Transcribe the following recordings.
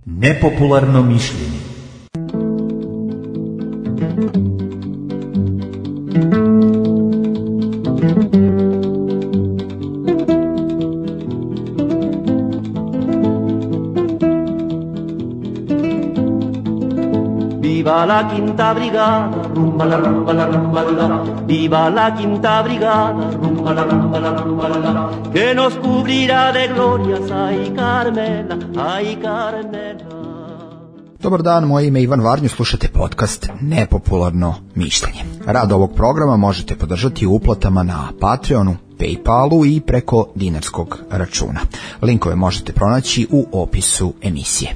Nepopularno mišljenje. Viva la quinta brigada, rumba la rumba la rumba la. Viva la quinta brigada, rumba la rumba la rumba la. Que nos cubrirá de glorias, ay Carmela, ay Carmela. Dobar dan, moje ime je Ivan Varnju, slušate podcast Nepopularno mišljenje. Rad ovog programa možete podržati uplatama na Patreonu, Paypalu i preko dinarskog računa. Linkove možete pronaći u opisu emisije.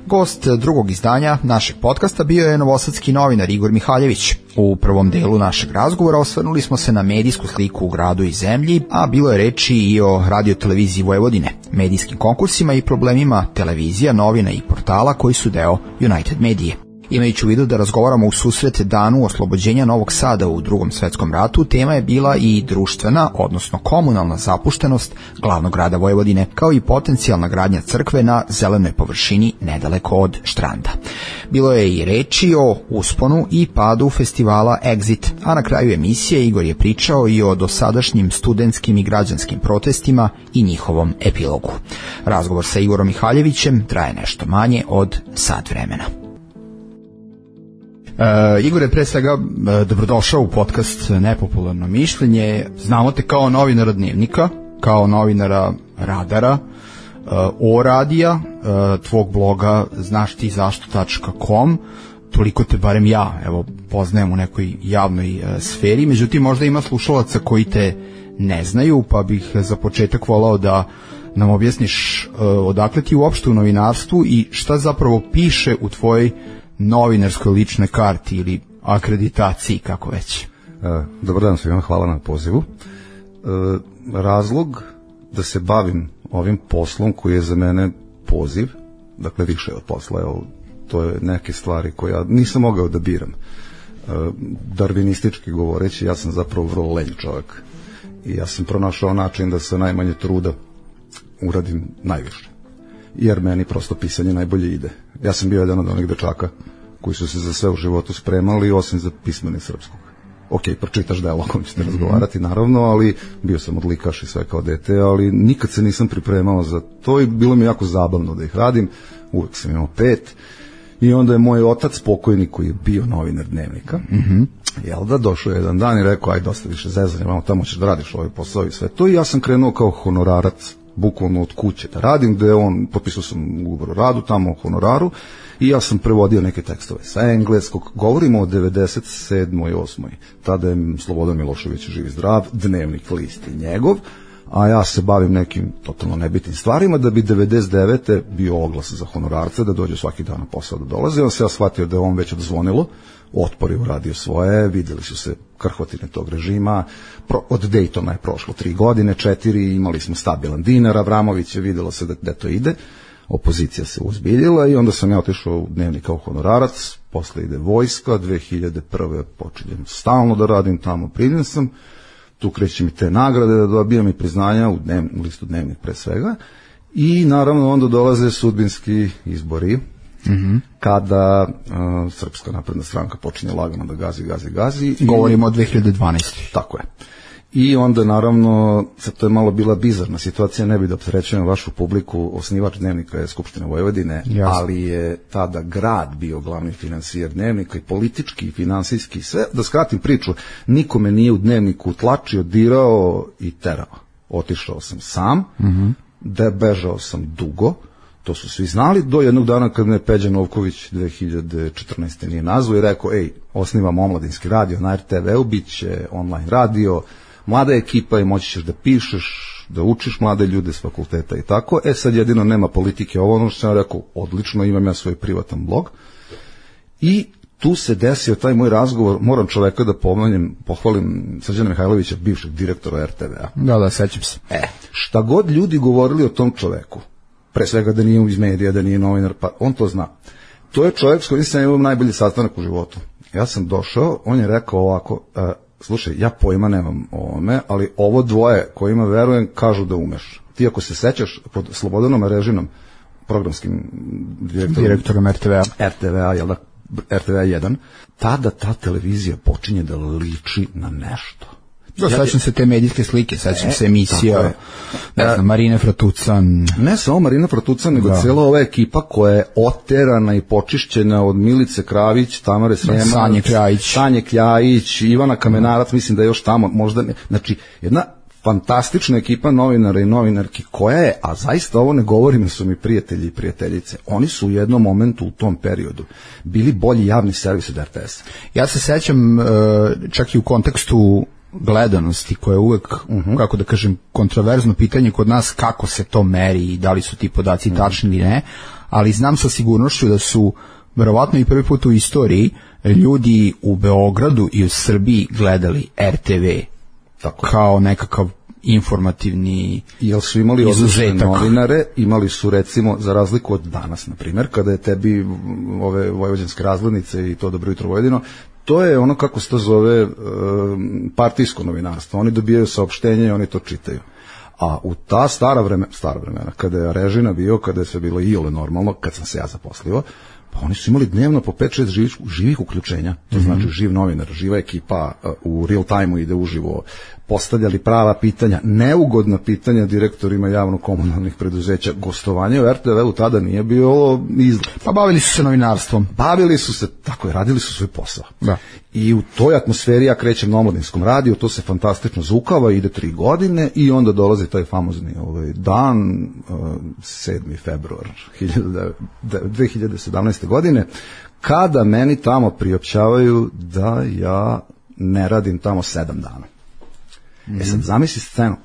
Gost drugog izdanja našeg podcasta bio je novosadski novinar Igor Mihaljević. U prvom delu našeg razgovora osvrnuli smo se na medijsku sliku u gradu i zemlji, a bilo je reči i o radioteleviziji Vojvodine, medijskim konkursima i problemima televizija, novina i portala koji su deo United Medije. Imajući u vidu da razgovaramo u susret danu oslobođenja Novog Sada u Drugom svetskom ratu, tema je bila i društvena, odnosno komunalna zapuštenost glavnog grada Vojvodine, kao i potencijalna gradnja crkve na zelenoj površini nedaleko od Štranda. Bilo je i reči o usponu i padu festivala Exit, a na kraju emisije Igor je pričao i o dosadašnjim studentskim i građanskim protestima i njihovom epilogu. Razgovor sa Igorom Mihaljevićem traje nešto manje od sat vremena. Igore, pre svega dobrodošao u podcast Nepopularno mišljenje. Znamo te kao novinara Dnevnika, kao novinara Radara, O radija, tvog bloga znašttizašto.com. Toliko te barem ja poznajem u nekoj javnoj sferi, međutim možda ima slušalaca koji te ne znaju, pa bih za početak volao da nam objasniš odakle ti uopšte u novinarstvu i šta zapravo piše u tvojoj novinarskoj ličnoj karti ili akreditaciji, kako već. Dobar dan svima, hvala na pozivu. Razlog da se bavim ovim poslom koji je za mene poziv, dakle više od posla, to je neke stvari koje ja nisam mogao da biram. Darvinistički govoreći, ja sam zapravo vrlo lenj čovjek i ja sam pronašao način da sa najmanje truda uradim najviše, jer meni prosto pisanje najbolje ide. Ja sam bio jedan od onih dečaka koji su se za sve u životu spremali, osim za pismeni srpskog. Ok, pročitaš delo o kojem ćete razgovarati, naravno, ali bio sam odlikaš i sve kao dete, ali nikad se nisam pripremao za to i bilo mi jako zabavno da ih radim. Uvek sam imao 5 i onda je moj otac pokojni, koji je bio novinar Dnevnika, došao jedan dan i rekao, aj dosta više zezanja, tamo ćeš da radiš ovaj posao i sve to, i ja sam krenuo kao honorarac, bukvalno od kuće da radim, gde potpisao sam ugovor o radu tamo o honoraru i ja sam prevodio neke tekstove sa engleskog. Govorimo o 97. i 8. Tada je Slobodan Milošević živ i zdrav, Dnevnik list je njegov, a ja se bavim nekim totalno nebitnim stvarima, da bi 99. bio oglas za honorarce, da dođe svaki dan na posao da dolaze. On se ja shvatio da je on već odzvonilo, Otpor je uradio svoje, videli su se krhotine tog režima, od Dejtona je prošlo 3 godine, 4, imali smo stabilan dinar, Avramović je, videlo se da to ide, opozicija se uzbiljila i onda sam ja otišao u Dnevnik kao honorarac, posle ide vojska, 2001. počinjem stalno da radim tamo, primljen sam, tu kreće mi te nagrade da dobijam i priznanja u listu Dnevnik pre svega, i naravno onda dolaze sudbinski izbori, kada Srpska napredna stranka počinje lagano da gazi. Govorimo o 2012. Tako je. I onda naravno, sad to je malo bila bizarna situacija, ne bi da opterećujem vašu publiku, osnivač Dnevnika je Skupština Vojvodine, ali je tada grad bio glavni finansijer Dnevnika i politički i finansijski, sve. Da skratim priču, nikome nije u Dnevniku tlačio, dirao i terao. Otišao sam sam, bežao sam dugo, to su svi znali, do jednog dana kad me Peđa Novković 2014. nije nazvao i rekao, osnivam omladinski radio na RTV-u, bit će online radio, mlada ekipa i moći ćeš da pišeš, da učiš mlade ljude s fakulteta i tako. Sad jedino nema politike, ono što sam rekao, odlično, imam ja svoj privatan blog. I tu se desio taj moj razgovor, moram čoveka da pohvalim Srđana Mihajlovića, bivšeg direktora RTV-a. Da, sećam se. Šta god ljudi govorili o tom čoveku, pre svega da nije iz medija, da nije novinar, pa on to zna. To je čovjek s kojim sam imao najbolji sastanak u životu. Ja sam došao, on je rekao ovako, slušaj, ja pojma nemam o ovome, ali ovo dvoje kojima verujem kažu da umeš. Ti ako se sećaš pod Slobodanom Režinom, programskim direktorom RTV-a, jel da, RTV 1, tada ta televizija počinje da liči na nešto. Sećam se te medijske slike, sećam se emisija, ne znam, Marina Fratucan. Ne samo Marina Fratucan, nego cijela ova ekipa koja je oterana i počišćena od Milice Kravić, Tamare Srema, Sanje Kljajić, Ivana Kamenarac, mislim da je još tamo, možda ne. Znači, jedna fantastična ekipa novinara i novinarki koja je, a zaista ovo ne govorim, su mi prijatelji i prijateljice, oni su u jednom momentu u tom periodu bili bolji javni servis od RTS. Ja se sećam čak i u kontekstu gledanosti koja je uvek, kako da kažem, kontroverzno pitanje kod nas kako se to meri i da li su ti podaci tačni ili ne, ali znam sa sigurnošću da su verovatno i prvi put u istoriji ljudi u Beogradu i u Srbiji gledali RTV kao nekakav informativni jel su imali odlične novinare, imali su recimo za razliku od danas, na primjer, kada je tebi ove vojvođanske razglednice i to Dobro jutro Vojvodino, to je ono kako se to zove partijsko novinarstvo. Oni dobijaju saopštenje i oni to čitaju. A u ta stara vremena, kada je Režina bio, kada je sve bilo iole normalno, kad sam se ja zaposlio, pa oni su imali dnevno po 5-6 živih uključenja. To znači živ novinar, živa ekipa u real time-u ide uživo, postavljali prava pitanja, neugodna pitanja direktorima javno-komunalnih preduzeća. Gostovanje u RTV-u tada nije bilo izlet. Pa bavili su se novinarstvom. Bavili su se, tako je, radili su svoj posao. Da. I u toj atmosferi ja krećem na Omladinskom radiju, to se fantastično zukava, ide 3 godine i onda dolazi taj famozni dan, 7. februar 2017. godine, kada meni tamo priopćavaju da ja ne radim tamo 7 dana. Sad zamisli scenu.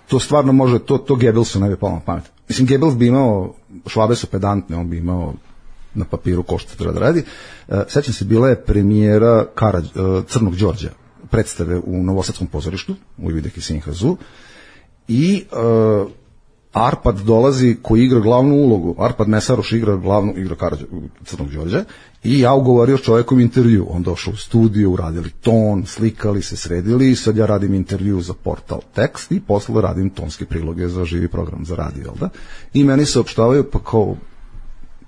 To stvarno može, to Goebbelsu ne bi palo na pamet. Mislim, Goebbels bi imao, Švabe su pedantne, on bi imao na papiru ko što treba da radi. Sećam se, bila je premijera Crnog Đorđa, predstave u Novosadskom pozorištu, u Ivideki Sinhazu, i Arpad dolazi koji igra glavnu ulogu. Arpad Mesaroš igra Crnog Đorđa i ja ugovorio čovjekom intervju. On došao u studiju, uradili ton, slikali se, sredili i sad ja radim intervju za portal Tekst i posle radim tonske priloge za živi program za radio, jel da? I meni se opštavaju, pa kao,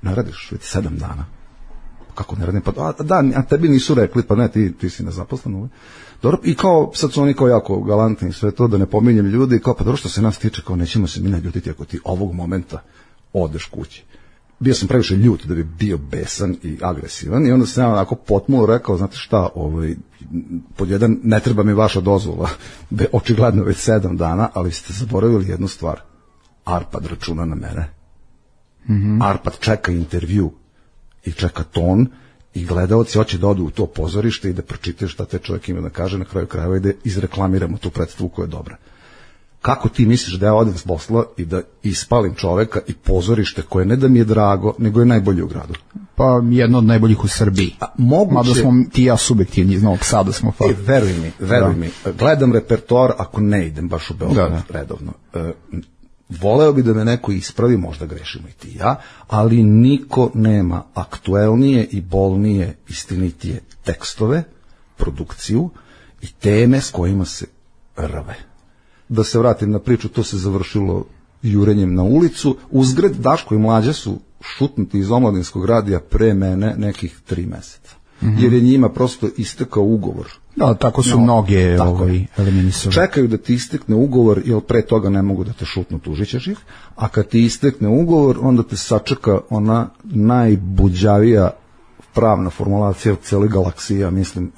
ne radiš već 7 dana. Kako ne radim? Pa da, a tebi nisu rekli, pa ne, ti si nezaposlen. Dobro, i kao, sad su oni kao jako galantni i sve to, da ne pominjem ljudi, kao, pa dobro što se nas tiče, kao nećemo se mi naljutiti ako ti ovog momenta odeš kući. Bio sam previše ljut da bi bio besan i agresivan i onda sam ja onako potmulo rekao, znate šta, pod jedan, ne treba mi vaša dozvola, da je očigledno već 7 dana, ali ste zaboravili jednu stvar. Arpad računa na mene. Arpad čeka intervju i čeka ton i gledaoci hoće da odu u to pozorište i da pročitaju šta te čovjek ima da kaže, na kraju krajeva i da izreklamiramo tu predstavu koja je dobra. Kako ti misliš da ja odem s posla i da ispalim čoveka i pozorište koje ne da mi je drago, nego je najbolje u gradu? Pa jedno od najboljih u Srbiji. Mada smo ti ja subjektivni, iz Novog Sada smo. Veruj mi, gledam repertoar ako ne idem baš u Beograd redovno. Voleo bi da me neko ispravi, možda grešimo i ti ja, ali niko nema aktuelnije i bolnije, istinitije tekstove, produkciju i teme s kojima se rve. Da se vratim na priču, to se završilo jurenjem na ulicu. Uzgred, Daško i Mlađa su šutnuti iz Omladinskog radija pre mene nekih 3 meseca. Jer je njima prosto istekao ugovor. Da, tako su mnoge eliminisali. Čekaju da ti istekne ugovor, jer pre toga ne mogu da te šutnu, tužićeš ih, a kad ti istekne ugovor, onda te sačeka ona najbuđavija pravna formulacija u cijeloj galaksiji, ja mislim,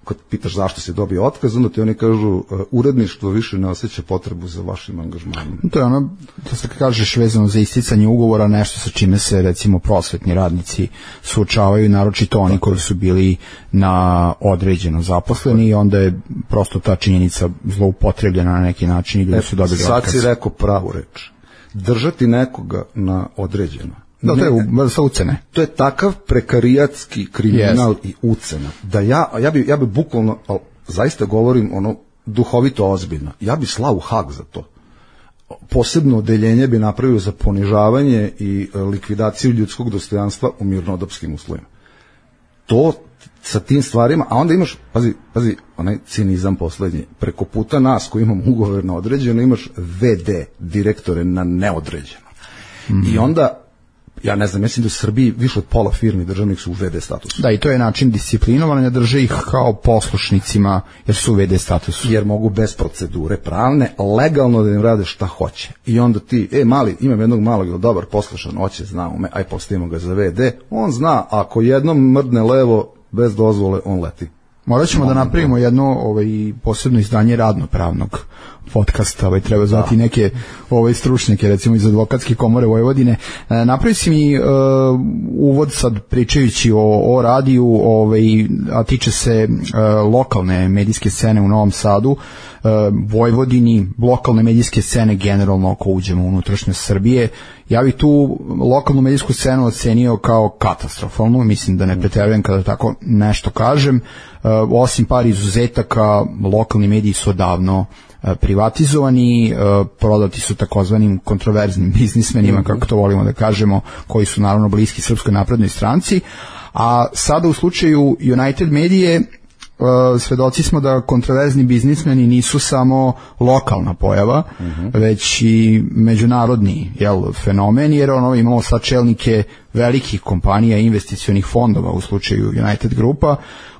kad pitaš zašto si dobio otkaz, onda ti oni kažu uredništvo više ne osjeća potrebu za vašim angažmanom. To je ono, to se kažeš vezano za isticanje ugovora, nešto sa čime se recimo prosvetni radnici suočavaju, naročito oni koji su bili na određeno zaposleni i onda je prosto ta činjenica zloupotrebljena na neki način i ljudi su dobili otkaz. Sad si rekao pravu reč. Držati nekoga na određeno. Da, to je sa ucene. To je takav prekarijatski kriminal i ucena. Da ja bi bukvalno, zaista govorim ono duhovito ozbiljno, ja bi slao u Hag za to. Posebno odeljenje bi napravio za ponižavanje i likvidaciju ljudskog dostojanstva u mirnodopskim uslovima. To sa tim stvarima, a onda imaš, pazi, onaj cinizam poslednji, preko puta nas koji imamo ugovor na određeno, imaš VD, direktore na neodređeno. I onda, ja ne znam, mislim da u Srbiji više od pola firmi državnih su u VD statusu. Da, i to je način disciplinovanja, drže ih kao poslušnicima jer su u VD statusu. Jer mogu bez procedure pravne, legalno da im rade šta hoće. I onda ti, mali, imam jednog malog ili dobar poslušan, hoće, zna ume, aj postavimo ga za VD, on zna, ako jednom mrdne levo, bez dozvole, on leti. Morat ćemo da napravimo jedno posebno izdanje radno-pravnog podcasta, treba zvati neke stručnjake, recimo iz Advokatske komore Vojvodine. Napravi si mi uvod sad pričajući o radiju, a tiče se lokalne medijske scene u Novom Sadu, Vojvodini, lokalne medijske scene generalno ako uđemo u unutrašnjost Srbije. Ja bih tu lokalnu medijsku scenu ocenio kao katastrofalnu, mislim da ne preterujem kada tako nešto kažem. Osim par izuzetaka, lokalni mediji su odavno privatizovani, prodati su takozvanim kontroverznim biznismenima, kako to volimo da kažemo, koji su naravno bliski Srpskoj naprednoj stranci, a sada u slučaju United Medije svedoci smo da kontroverzni biznismeni nisu samo lokalna pojava, već i međunarodni fenomen, jer imamo sad čelnike velikih kompanija i investicionih fondova u slučaju United Grupa,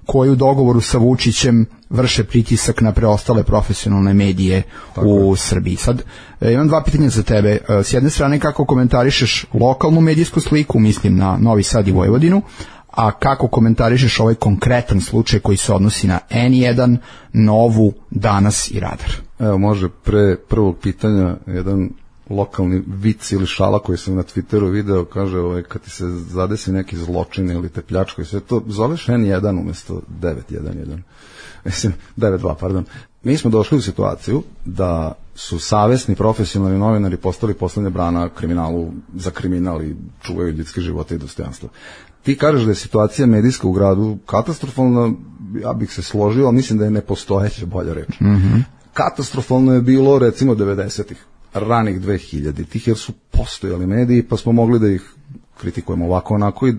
koji u dogovoru sa Vučićem vrše pritisak na preostale profesionalne medije u Srbiji. Sad, imam dva pitanja za tebe. S jedne strane, kako komentarišeš lokalnu medijsku sliku, mislim na Novi Sad i Vojvodinu, a kako komentarišeš ovaj konkretan slučaj koji se odnosi na N1, Novu, Danas i Radar? Evo, može pre prvog pitanja jedan lokalni vic ili šala koji sam na Twitteru video, kaže, kad ti se zadesi neki zločin ili te pljačko i sve to, zoveš N1 umesto 911. Mislim, 92, pardon. Mi smo došli u situaciju da su savesni profesionalni novinari postali poslednja brana kriminalu, za kriminal i čuvaju ljudske živote i dostojanstva. Ti kažeš da je situacija medijska u gradu katastrofalna, ja bih se složio, ali mislim da je nepostojeća, bolja reč. Katastrofalno je bilo recimo 90-ih, ranih 2000-ih, jer su postojali mediji, pa smo mogli da ih kritikujemo ovako onako i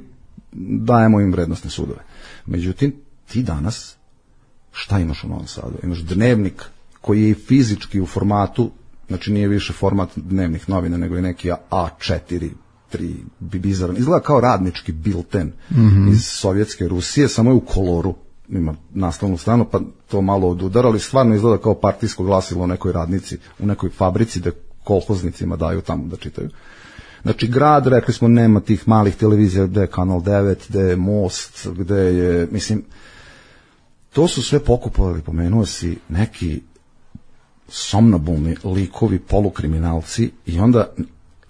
dajemo im vrednostne sudove. Međutim, ti danas šta imaš u Novom Sadu? Imaš Dnevnik koji je i fizički u formatu, znači nije više format dnevnih novina, nego je neki A4, 3, bizaran. Izgleda kao radnički bilten iz Sovjetske Rusije, samo je u koloru, ima naslovnu stranu, pa to malo odudara, ali stvarno izgleda kao partijsko glasilo u nekoj radnici, u nekoj fabrici da kolhoznicima daju tamo da čitaju. Znači, grad, rekli smo, nema tih malih televizija, gde je Kanal 9, gde je Most, gde je, mislim, to su sve pokupovali, pomenuo si, neki somnobulni likovi, polukriminalci, i onda,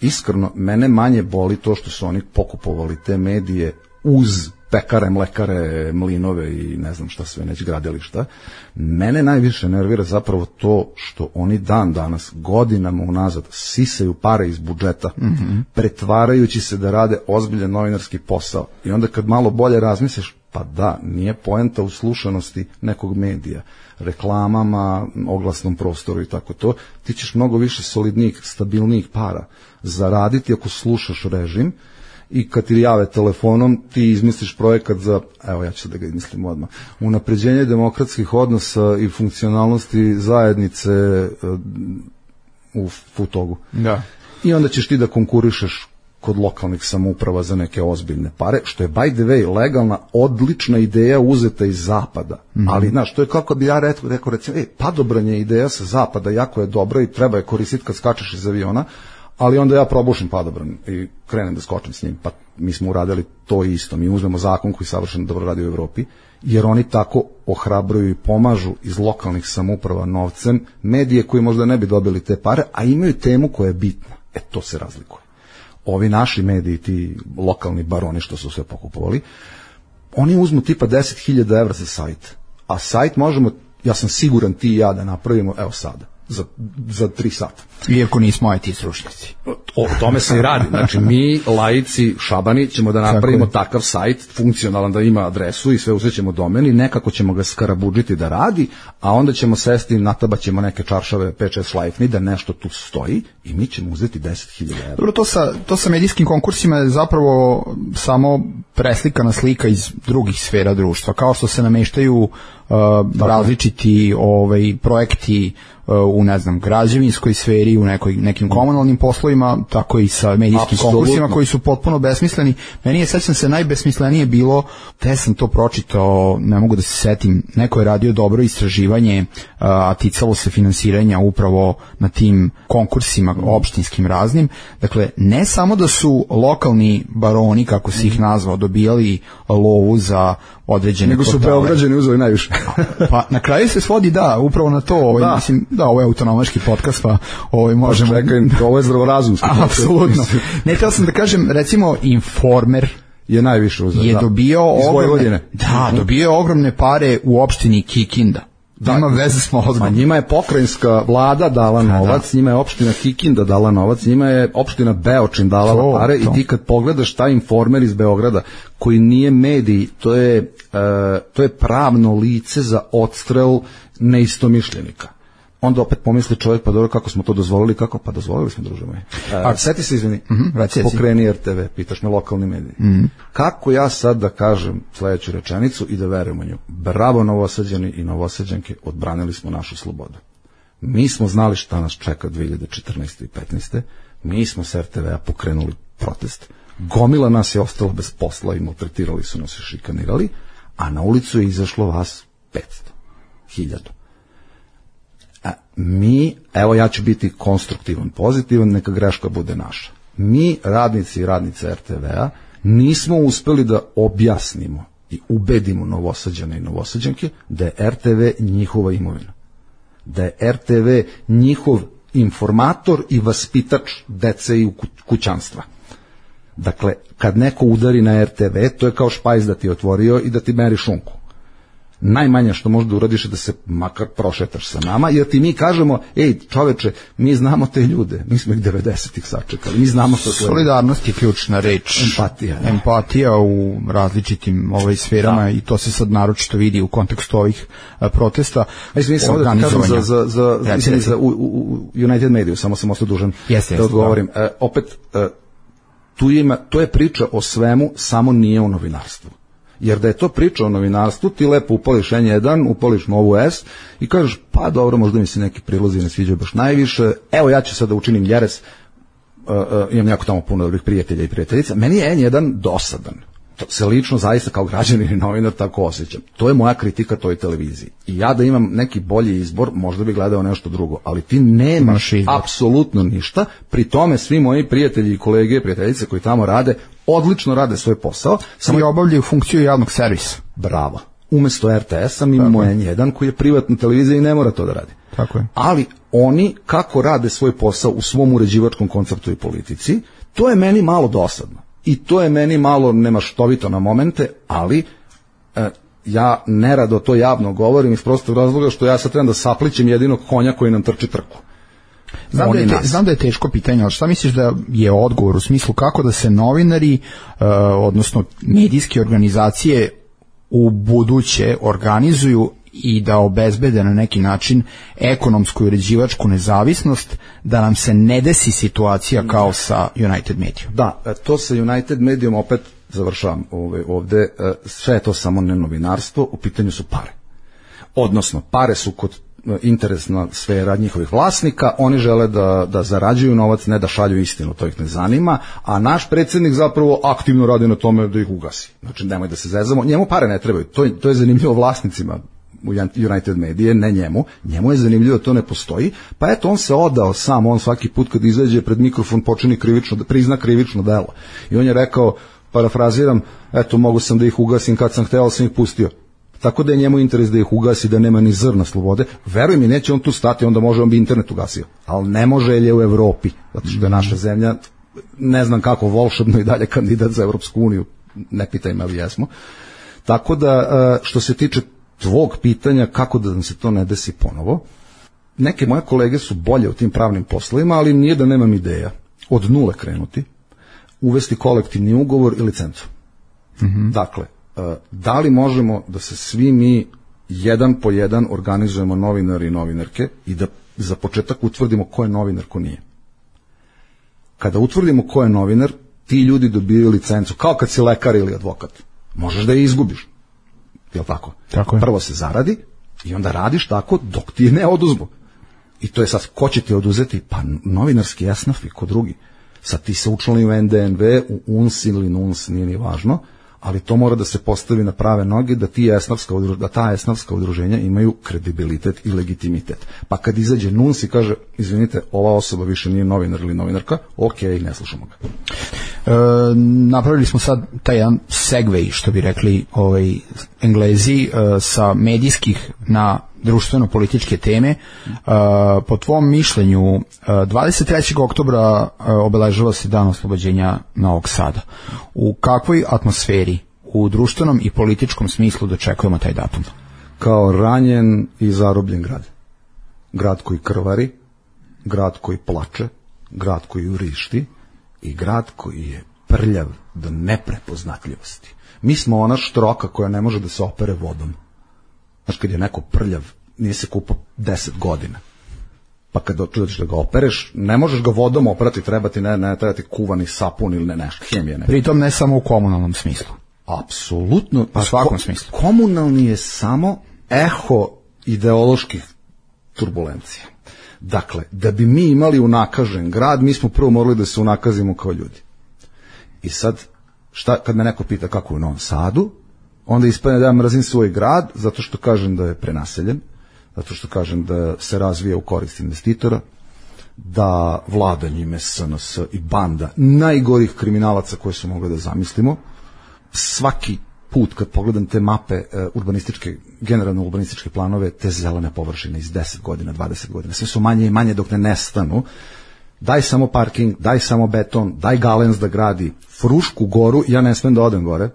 iskreno, mene manje boli to što su oni pokupovali te medije uz pekare, mlekare, mlinove i ne znam šta sve, neće gradilišta. Mene najviše nervira zapravo to što oni dan danas, godinama unazad, sisaju pare iz budžeta, pretvarajući se da rade ozbiljan novinarski posao. I onda kad malo bolje razmisliš, pa da, nije poenta u slušanosti nekog medija, reklamama, oglasnom prostoru i tako to, ti ćeš mnogo više solidnijih, stabilnijih para zaraditi ako slušaš režim, i kad ti jave telefonom, ti izmisliš projekat za, evo ja ću da ga izmislim odmah, unapređenje demokratskih odnosa i funkcionalnosti zajednice u Futogu. Da. I onda ćeš ti da konkurišeš kod lokalnih samouprava za neke ozbiljne pare, što je by the way legalna, odlična ideja uzeta iz zapada. Ali, znaš, to je kako bi ja rekao recimo, padobranje ideja sa zapada jako je dobra i treba je koristiti kad skačeš iz aviona, ali onda ja probušim padobran i krenem da skočim s njim, pa mi smo uradili to isto. Mi uzmemo zakon koji savršeno dobro radi u Evropi, jer oni tako ohrabruju i pomažu iz lokalnih samouprava novcem medije koji možda ne bi dobili te pare, a imaju temu koja je bitna. To se razlikuje. Ovi naši mediji, ti lokalni baroni što su sve pokupovali, oni uzmu tipa 10.000 evra za sajt, a sajt možemo, ja sam siguran ti i ja da napravimo, evo sada. za 3 sata. Iako nismo IT stručnjaci. O tome se i radi. Znači, mi, laici, šabani, ćemo da napravimo takav sajt, funkcionalan, da ima adresu i sve uzet domen i nekako ćemo ga skarabudžiti da radi, a onda ćemo sesti, natabaćemo neke čaršave 5-6 šlajfni da nešto tu stoji i mi ćemo uzeti 10.000 €. Dobro, to sa medijskim konkursima je zapravo samo preslikana slika iz drugih sfera društva, kao što se nameštaju različiti projekti u, ne znam, građevinskoj sferi, u nekim komunalnim poslovima, tako i sa medijskim konkursima koji su potpuno besmisleni. Meni je, sećam se, najbesmislenije bilo, te sam to pročitao, ne mogu da se setim, neko je radio dobro istraživanje, a ticalo se finansiranja upravo na tim konkursima opštinskim raznim. Dakle, ne samo da su lokalni baroni, kako si ih nazvao, dobijali lovu za određene nego su Beograđani uzeli najviše. Pa na kraju se svodi upravo na to, mislim, ovo je autonomaški podcast, pa možemo... Čekaj, ovo je zdravorazumski. Apsolutno. Ne, htio sam da kažem, recimo Informer je najviše uzeo. Je dobio dobio ogromne pare u opštini Kikinda. Ima veze s mozgom. Ma njima je pokrajinska vlada dala novac, njima je opština Kikinda dala novac, njima je opština Beočin dala pare i ti kad pogledaš taj Informer iz Beograda, koji nije medij, to je pravno lice za odstrel neistomišljenika. Onda opet pomisli čovjek, pa dobro, kako smo to dozvolili, pa dozvolili smo, druže moji. Sjeti se, izvini, pokreni RTV, pitaš me, lokalni mediji. Kako ja sad da kažem sledeću rečenicu i da verujem u nju? Bravo, Novosađani i Novosađanke, odbranili smo našu slobodu. Mi smo znali šta nas čeka 2014. i 2015. Mi smo s RTV-a pokrenuli protest. Gomila nas je ostala bez posla i maltretirali su nas i šikanirali, a na ulicu je izašlo vas 500, 1000. Mi, evo ja ću biti konstruktivan, pozitivan, neka greška bude naša. Mi, radnici i radnice RTV-a, nismo uspeli da objasnimo i ubedimo Novosađane i Novosađanke da je RTV njihova imovina. Da je RTV njihov informator i vaspitač dece i kućanstva. Dakle, kad neko udari na RTV, to je kao špajz da ti je otvorio i da ti meri šunku. Najmanje što možda uradiš je da se makar prošetaš sa nama, jer ti mi kažemo, ej čoveče, mi znamo te ljude, mi smo ih 90-ih sačekali, mi znamo što to je. Solidarnost je ključna reč. Empatija u različitim sferama i to se sad naročito vidi u kontekstu ovih protesta. Mislim samo da kažem za United Media, samo sam ostao dužan da odgovorim. Opet, to je priča o svemu, samo nije o novinarstvu. Jer da je to priča o novinarstvu, ti lepo upališ N1, upališ Novu S i kažeš, pa dobro, možda mi se neki prilozi ne sviđaju baš najviše, evo ja ću sad da učinim jeres, imam jako tamo puno dobrih prijatelja i prijateljica, meni je N1 dosadan. To se lično zaista kao građanin i novinar tako osjećam. To je moja kritika toj televiziji. I ja da imam neki bolji izbor, možda bi gledao nešto drugo, ali ti nemaš apsolutno ništa, pri tome svi moji prijatelji i kolege i prijateljice koji tamo rade, odlično rade svoj posao. Samo i obavljaju funkciju javnog servisa. Bravo. Umesto RTS-a mi imamo N1 koji je privatna televizija i ne mora to da radi. Tako je. Ali oni kako rade svoj posao u svom uređivačkom konceptu i politici, to je meni malo dosadno. I to je meni malo nemaštovito na momente, ali ja nerado to javno govorim iz prostog razloga što ja sad trebam da saplićem jedinog konja koji nam trči trku. Znam da je teško pitanje, ali šta misliš da je odgovor u smislu kako da se novinari, odnosno medijske organizacije u buduće organizuju i da obezbede na neki način ekonomsku i uređivačku nezavisnost, da nam se ne desi situacija kao sa United Media. Da, to sa United Mediom opet završavam ovde, sve je to samo ne novinarstvo, u pitanju su pare. Odnosno, pare su kod interesna sfera njihovih vlasnika, oni žele da zarađuju novac, ne da šalju istinu, to ih ne zanima, a naš predsjednik zapravo aktivno radi na tome da ih ugasi. Znači, nemoj da se zezamo, njemu pare ne trebaju, to je zanimljivo vlasnicima United Media, ne njemu je zanimljivo da to ne postoji, pa eto on se odao sam, on svaki put kad izađe pred mikrofon prizna krivično delo. I on je rekao, parafraziram, eto mogu sam da ih ugasim kad sam hteo, sam ih pustio. Tako da je njemu interes da ih ugasi, da nema ni zrna slobode. Veruj mi, neće on tu stati, onda može on bi internet ugasio. Ali ne može jer je u Evropi, zato što je naša zemlja, ne znam kako, volšebno i dalje kandidat za Evropsku uniju, ne pitaj me, ali jesmo. Tako da, što se tiče tvog pitanja, kako da nam se to ne desi ponovo, neke moje kolege su bolje u tim pravnim poslovima, ali nije da nemam ideja. Od nule krenuti, uvesti kolektivni ugovor i licencu. Dakle, da li možemo da se svi mi jedan po jedan organizujemo novinari i novinarke i da za početak utvrdimo ko je novinar, ko nije. Kada utvrdimo ko je novinar, ti ljudi dobijaju licencu, kao kad si lekar ili advokat. Možeš da je izgubiš. Jel tako? Tako je. Prvo se zaradi i onda radiš tako dok ti je ne oduzmu. I to je sad, ko će ti oduzeti? Pa novinarski esnaf i ko drugi. Sad ti se učlani u NDNV, u UNS ili NUNS, nije ni važno, ali to mora da se postavi na prave noge, da ta esnafska udruženja imaju kredibilitet i legitimitet. Pa kad izađe NUNS i kaže, izvinite, ova osoba više nije novinar ili novinarka, okej, ne slušamo ga. Napravili smo sad taj jedan segway, što bi rekli Englezi, sa medijskih na društveno-političke teme. Po tvom mišljenju, 23. oktobra obeležava se dan oslobođenja Novog Sada. U kakvoj atmosferi, u društvenom i političkom smislu dočekujemo taj datum? Kao ranjen i zarobljen grad. Grad koji krvari, grad koji plače, grad koji urišti i grad koji je prljav do neprepoznatljivosti. Mi smo ona štroka koja ne može da se opere vodom. Znaš, kad je neko prljav, nije se kupao 10 godina. Pa kad dođeš da ga opereš, ne možeš ga vodom operati, treba ti kuvani sapun ili nešto, hemije. Pritom ne samo u komunalnom smislu. Apsolutno. Pa u svakom smislu. Komunalni je samo eho ideoloških turbulencija. Dakle, da bi mi imali unakažen grad, mi smo prvo morali da se unakazimo kao ljudi. I sad, kad me neko pita kako je u Novom Sadu, onda ispadne da ja mrzim svoj grad, zato što kažem da je prenaseljen, zato što kažem da se razvija u korist investitora, da vlada njime SNS i banda najgorih kriminalaca koje su mogli da zamislimo. Svaki put kad pogledam te mape urbanističke, generalno urbanističke planove, te zelene površine iz 10 godina, 20 godina, sve su manje i manje dok ne nestanu. Daj samo parking, daj samo beton, daj Galens da gradi Frušku goru, ja ne smem da odem gore.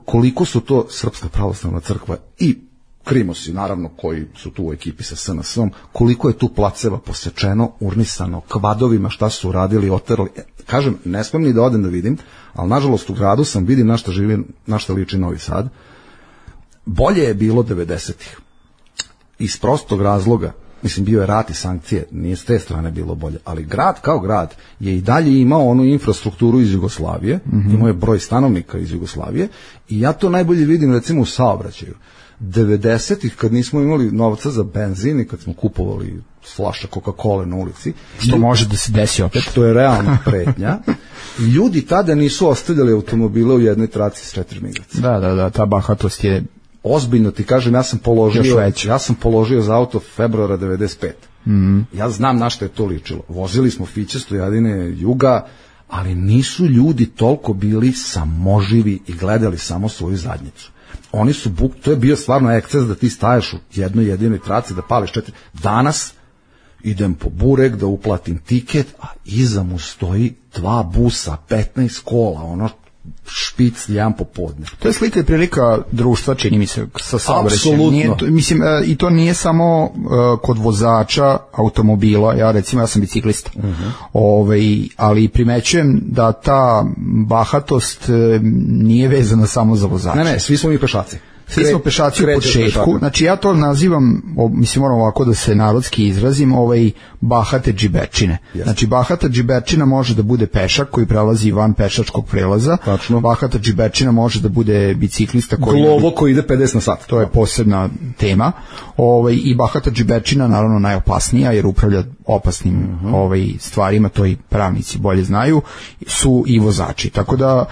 Koliko su to Srpska pravoslavna crkva i Krimosi, naravno, koji su tu u ekipi sa SNS-om, koliko je tu placeva posečeno, urnisano, kvadovima, šta su uradili, oterali. Kažem, ne smem ni da odem da vidim, ali nažalost u gradu sam, vidim na šta liči Novi Sad. Bolje je bilo 90-ih. Iz prostog razloga, mislim, bio je rat i sankcije, nije s te strane bilo bolje, ali grad kao grad je i dalje imao onu infrastrukturu iz Jugoslavije, imao je broj stanovnika iz Jugoslavije i ja to najbolje vidim recimo u saobraćaju. 90-ih kad nismo imali novca za benzin i kad smo kupovali flaša Coca-Cola na ulici, što može da se desi opet, to je realna pretnja, ljudi tada nisu ostavljali automobile u jednoj traci s 4 migracije. Da, ta bahatost je ozbiljno ti kažem, ja sam položio za auto februara 95. Ja znam na što je to ličilo. Vozili smo Fiće, Stojadine, Juga, ali nisu ljudi toliko bili samoživi i gledali samo svoju zadnjicu. Oni su to je bio stvarno eksces da ti staješ u jednoj jedinoj traci da pališ 4. Danas idem po burek da uplatim tiket, a iza mu stoji 2 busa, 15 kola, ono špic jedan popodne. To je slika i prilika društva, čini mi se, sa saobraćajem. Apsolutno. Mislim, i to nije samo kod vozača automobila, ja sam biciklista, ali primećujem da ta bahatost nije vezana samo za vozača. Ne, svi smo mi pešaci. Svi smo pešaci u početku, znači ja to nazivam, mislim moram ovako da se narodski izrazim, bahate džiberčine. Yes. Znači bahata džiberčina može da bude pešak koji prelazi van pešačkog prelaza. Tačno. Bahata džiberčina može da bude biciklista koji ide 50 na sat. To je posebna tema. I bahata džiberčina naravno najopasnija jer upravlja opasnim stvarima, to i pravnici bolje znaju, su i vozači. Tako da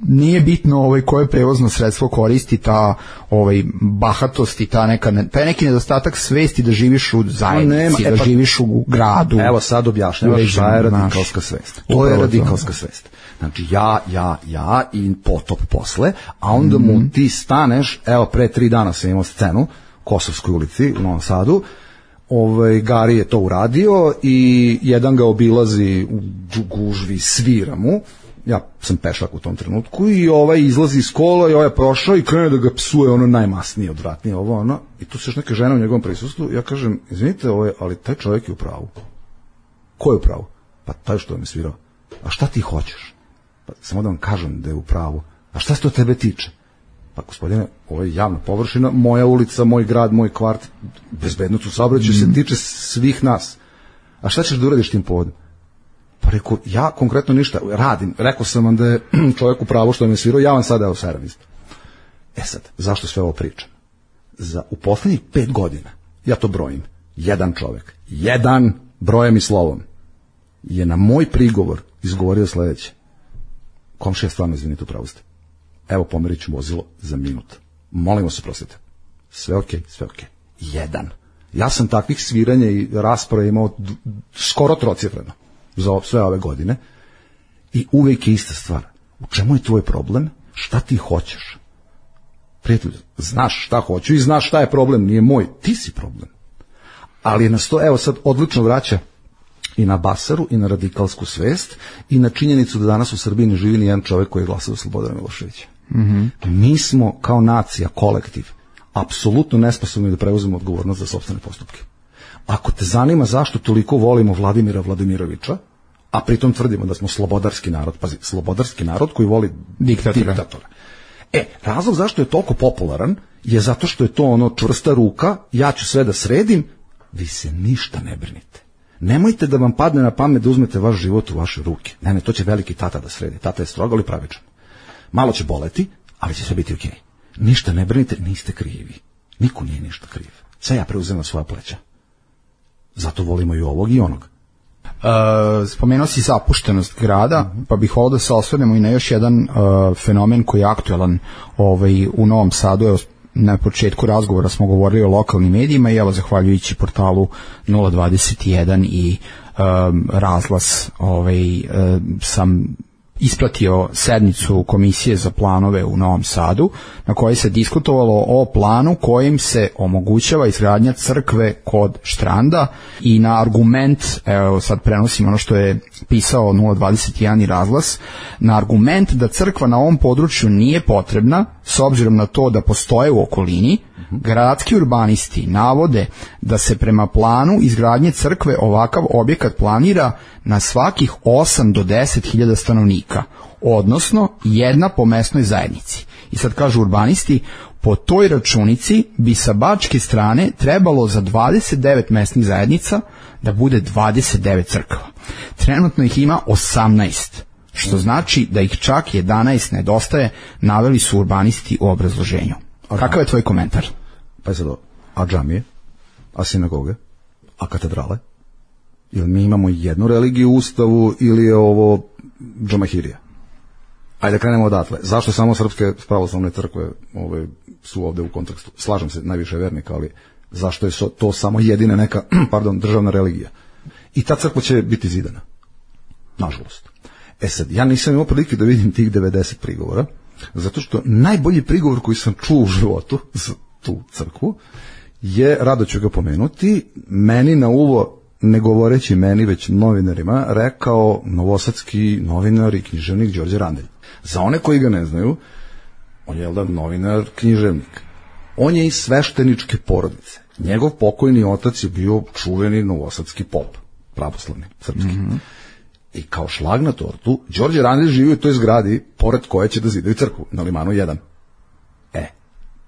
nije bitno koje prevozno sredstvo koristi, ta bahatost i taj neki nedostatak svesti da živiš u zajednici, da živiš u gradu. Evo sad objašnjavaš šta je radikalska svest. To je radikalska svest. Znači ja i potop posle, a onda mu ti staneš, evo pre 3 dana sam imao scenu Kosovskoj ulici u Novom Sadu, Gari je to uradio i jedan ga obilazi u gužvi, svira mu, ja sam pešak u tom trenutku i ovaj izlazi iz kola i ovaj je prošao i krene da ga psuje ono najmasnije, odvratnije, ovo ono, i tu se još neke žene u njegovom prisustvu, ja kažem, izvinite, ali taj čovjek je u pravu. Ko je u pravu? Pa taj što me svirao. A šta ti hoćeš? Pa samo da vam kažem da je u pravu. A šta se to tebe tiče? Pa gospodine, ovo je javna površina, moja ulica, moj grad, moj kvart, bezbednost u saobraćaju se tiče svih nas. A šta ćeš da uradiš tim povodom? Pa rekao, ja konkretno ništa radim. Rekao sam vam da je čovjek u pravu što me svirao, ja vam sada evo seram isto. Sad, zašto sve ovo pričam? U poslednjih 5 godina, ja to brojim, jedan čovjek, jedan brojem i slovom, je na moj prigovor izgovorio sledeće. Komšija, stvarno izvinite, u pravu ste. Evo, pomerit ću vozilo za minut. Molimo se, prostite. Sve okej, sve okej. Jedan. Ja sam takvih sviranja i rasprave imao skoro trocifreno za sve ove godine i uvijek je ista stvar. U čemu je tvoj problem? Šta ti hoćeš? Prijatelj, znaš šta hoću i znaš šta je problem, nije moj, ti si problem. Ali nas to, evo sad, odlično vraća i na Basaru, i na radikalsku svest, i na činjenicu da danas u Srbiji ne živi ni jedan čovjek koji je glasao za Slobodana Miloševića. Mi smo kao nacija, kolektiv, apsolutno nesposobni da preuzemo odgovornost za sopstvene postupke. Ako te zanima zašto toliko volimo Vladimira Vladimirovića, a pritom tvrdimo da smo slobodarski narod, pazi, slobodarski narod koji voli diktatora. Razlog zašto je toliko popularan je zato što je to ono čvrsta ruka, ja ću sve da sredim, vi se ništa ne brinite. Nemojte da vam padne na pamet da uzmete vaš život u vaše ruke. Ne, to će veliki tata da sredi. Tata je strog, ali pravičan. Malo će boleti, ali će sve biti okej. Ništa ne brinite, niste krivi. Niko nije ništa kriv. Sve ja preuzem na svoja pleća. Zato volimo i ovog i onog. Spomenuo si zapuštenost grada, pa bih volio da se osvrnemo i na još jedan fenomen koji je aktuelan u Novom Sadu. Evo, na početku razgovora smo govorili o lokalnim medijima i evo, zahvaljujući portalu 021 i Razglas sam ispratio sednicu Komisije za planove u Novom Sadu, na kojoj se diskutovalo o planu kojim se omogućava izgradnja crkve kod Štranda i na argument, evo sad prenosim ono što je pisao 021 i Razglas, na argument da crkva na ovom području nije potrebna s obzirom na to da postoje u okolini, gradski urbanisti navode da se prema planu izgradnje crkve ovakav objekat planira na svakih 8 do 10 hiljada stanovnika, odnosno jedna po mesnoj zajednici. I sad kažu urbanisti, po toj računici bi sa bačke strane trebalo za 29 mesnih zajednica da bude 29 crkava. Trenutno ih ima 18, što znači da ih čak 11 nedostaje, naveli su urbanisti u obrazloženju. Kakav je tvoj komentar? Pa je sad, a džamije, a sinagoge, a katedrale? Ili mi imamo jednu religiju u Ustavu ili je ovo džamahirija? Ajde krenemo odatle. Zašto samo srpske pravoslavne crkve su ovde u kontekstu? Slažem se, najviše vernika, ali zašto je to samo jedina neka državna religija? I ta crkva će biti zidana. Nažalost. Sad, ja nisam imao prilike da vidim tih 90 prigovora, zato što najbolji prigovor koji sam čuo u životu za tu crkvu je, rado ću ga pomenuti, meni na uvo, ne govoreći meni, već novinarima, rekao novosadski novinar i književnik Đorđe Randelj. Za one koji ga ne znaju, on je novinar, književnik. On je iz svešteničke porodice. Njegov pokojni otac je bio čuveni novosadski pop, pravoslavni, srpski. I kao šlag na tortu, Đorđe Randelj živi u toj zgradi pored koje će da zidaju crkvu, na Limanu 1.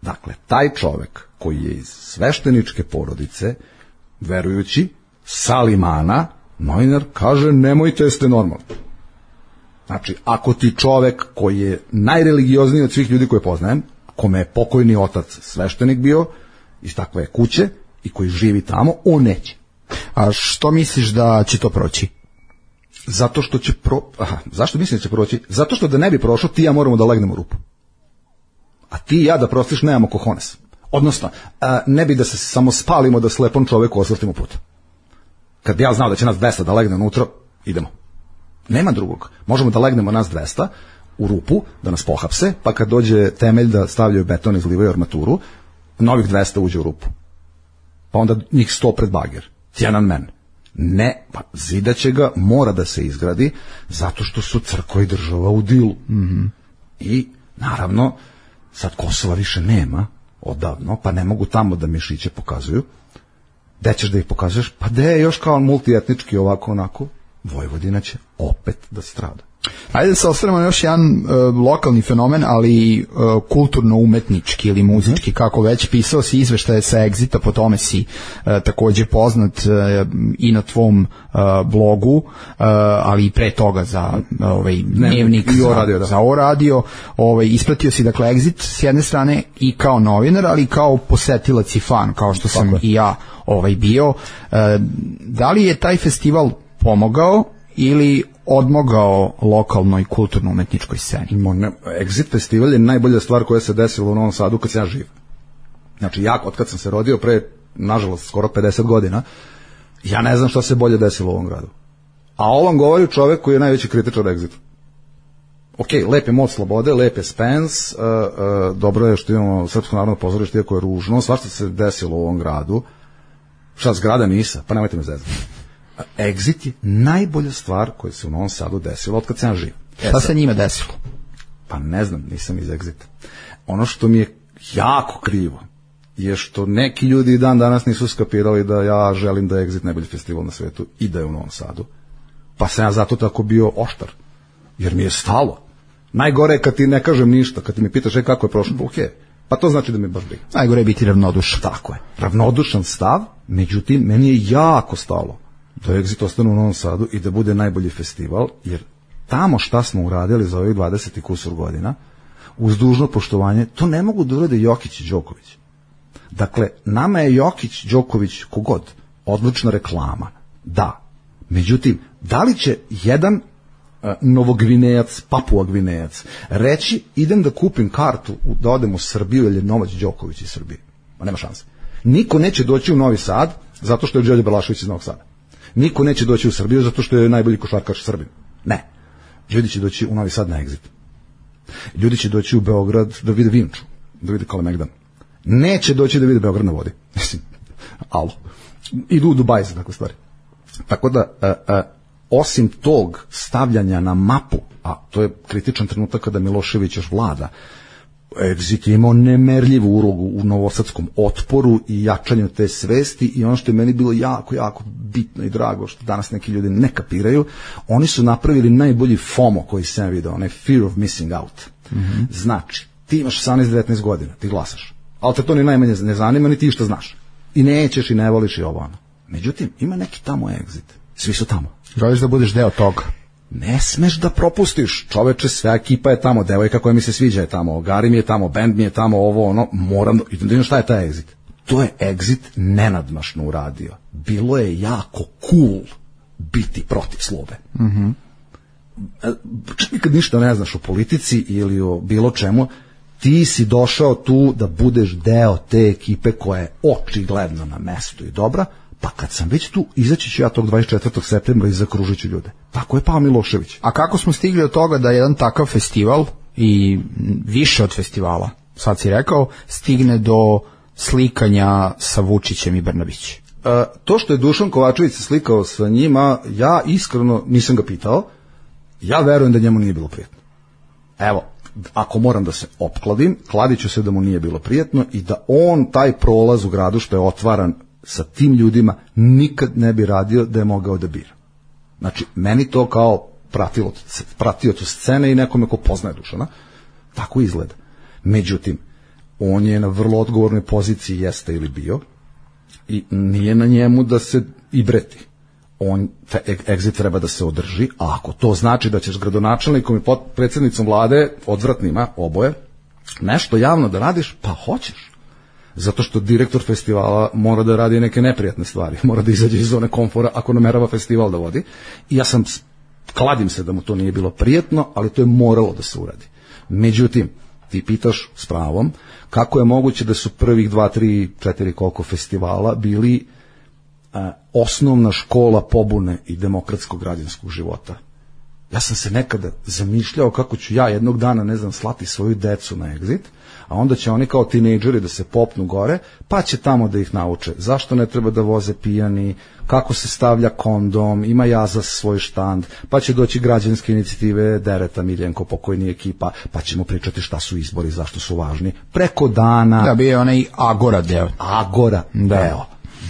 Dakle, taj čovek koji je iz svešteničke porodice, verujući, sa Limana, novinar kaže, nemojte, jeste normalni. Znači, ako ti čovek koji je najreligiozniji od svih ljudi koje poznajem, kome je pokojni otac sveštenik bio, iz takve kuće, i koji živi tamo, on neće. A što misliš da će to proći? Zato što će zašto mislim da će proći? Zato što da ne bi prošlo, ti ja moramo da legnemo u rupu. A ti i ja da prostiš nemamo kohones. Odnosno, ne bi da se samo spalimo da slepom čoveku osvrtimo put. Kad ja znao da će nas 200 da legne unutra, idemo. Nema drugog. Možemo da legnemo nas 200 u rupu, da nas pohapse, pa kad dođe temelj da stavljaju beton i izlivaju armaturu, novih 200 uđe u rupu. Pa onda njih 100 pred bager. Tiananmen. Ne, pa zidaće ga, mora da se izgradi, zato što su crkva i država u dilu. I, naravno, sad Kosova više nema, odavno, pa ne mogu tamo da mišiće pokazuju. Gde ćeš da ih pokazuješ? Pa gde je još kao multietnički ovako onako? Vojvodina će opet da strada. Ajde da se osvrnemo na još jedan lokalni fenomen, ali kulturno-umetnički ili muzički, kako već. Pisao si izveštaje sa Exita, po tome si takođe poznat i na tvom blogu, ali i pre toga za dnevnik, za O radio. Ispratio si dakle Exit s jedne strane i kao novinar, ali i kao posetilac i fan, kao što sam i ja bio. Da li je taj festival pomogao ili odmogao lokalnoj kulturno-umetničkoj sceni? Exit festival je najbolja stvar koja se desila u Novom Sadu kad sam ja živ. Znači, ja, od kad sam se rodio, pre, nažalost, skoro 50 godina, ja ne znam šta se bolje desilo u ovom gradu. A ovo vam govori čovek koji je najveći kritičar Exita. Ok, lep je Most Slobode, lep je Spence, dobro je što imamo Srpsko narodno pozorište, iako je ružno, svašta se desilo u ovom gradu. Šta, zgrada Misa? Pa nemojte me zezati. Exit je najbolja stvar koja se u Novom Sadu desila od kad sam živ. Šta se njima desilo? Pa ne znam, nisam iz Exita. Ono što mi je jako krivo je što neki ljudi i dan danas nisu skapirali da ja želim da je Exit najbolji festival na svetu i da je u Novom Sadu. Pa sam ja zato tako bio oštar. Jer mi je stalo. Najgore je kad ti ne kažem ništa, kad ti mi pitaš kako je prošlo, pa to znači da mi baš briga. Najgore je biti ravnodušan. Tako je. Ravnodušan stav, međutim, meni je jako stalo da Exit ostane u Novom Sadu i da bude najbolji festival, jer tamo šta smo uradili za ovih 20 i kusur godina, uz dužno poštovanje, to ne mogu da urade Jokić i Đoković. Dakle, nama je Jokić, Đoković, kogod, odlična reklama. Da. Međutim, da li će jedan Novogvinejac, Papua Gvinejac reći idem da kupim kartu da odem u Srbiju jer je Novać Đoković iz Srbije? Ma nema šanse. Niko neće doći u Novi Sad zato što je Đorđe Balašević iz Novog Sada. Niko neće doći u Srbiju zato što je najbolji košarkaš Srbin. Ne. Ljudi će doći u Novi Sad na Exit. Ljudi će doći u Beograd da vide Vinču, da vide Kalemegdan. Neće doći da vide Beograd na vodi. Mislim, alo. Idu u Dubaj za takve stvari. Tako da, osim tog stavljanja na mapu, a to je kritičan trenutak kada Milošević još vlada, Exit je imao nemerljivu ulogu u novosadskom otporu i jačanju te svesti i ono što je meni bilo jako, jako bitno i drago, što danas neki ljudi ne kapiraju, oni su napravili najbolji FOMO koji sam vidio, onaj fear of missing out. Znači, ti imaš 18-19 godina, ti glasaš, ali te to ni najmanje ne zanima, ni ti što znaš. I nećeš i ne voliš i ovo ono. Međutim, ima neki tamo Exit. Svi su tamo. Želiš da budeš deo toga. Ne smeš da propustiš, čoveče, sve ekipa je tamo, devojka koja mi se sviđa je tamo, Gari mi je tamo, bend mi je tamo, ovo, ono, moram, i šta je taj Exit? To je Exit nenadmašno uradio. Bilo je jako cool biti protiv Slobe. Čak nikad ništa ne znaš o politici ili o bilo čemu, ti si došao tu da budeš deo te ekipe koja je očigledno na mestu i dobra, pa kad sam već tu, izaći ću ja tog 24. septembra i zakružit ću ljude. Tako je pao Milošević. A kako smo stigli od toga da jedan takav festival i više od festivala, sad si rekao, stigne do slikanja sa Vučićem i Brnabić? To što je Dušan Kovačević se slikao sa njima, ja iskreno nisam ga pitao, ja verujem da njemu nije bilo prijetno. Evo, ako moram da se opkladim, kladit ću se da mu nije bilo prijetno i da on taj prolaz u gradu što je otvaran sa tim nikad ne bi radio da je mogao da bira. Znači, meni to kao pratiocu scene i nekome ko poznaje Dušana, tako izgleda. Međutim, on je na vrlo odgovornoj poziciji, jeste ili bio, i nije na njemu da se i breti. Exit treba da se održi, a ako to znači da ćeš gradonačelnikom i predsjednicom vlade, odvratnima, oboje, nešto javno da radiš, pa hoćeš. Zato što direktor festivala mora da radi neke neprijatne stvari, mora da izađe iz zone komfora ako namerava festival da vodi. I ja kladim se da mu to nije bilo prijetno, ali to je moralo da se uradi. Međutim, ti pitaš s pravom, kako je moguće da su prvih 2, 3, 4 koliko festivala bili osnovna škola pobune i demokratskog građanskog života. Ja sam se nekada zamišljao kako ću ja jednog dana, ne znam, slati svoju decu na Exit, a onda će oni kao tinejdžeri da se popnu gore, pa će tamo da ih nauče zašto ne treba da voze pijani, kako se stavlja kondom, ima jaza svoj štand, pa će doći građanske inicijative Dereta Miljenko, pokojni ekipa, pa ćemo pričati šta su izbori, zašto su važni. Preko dana... Da, bio je onaj Agora deo. Agora deo.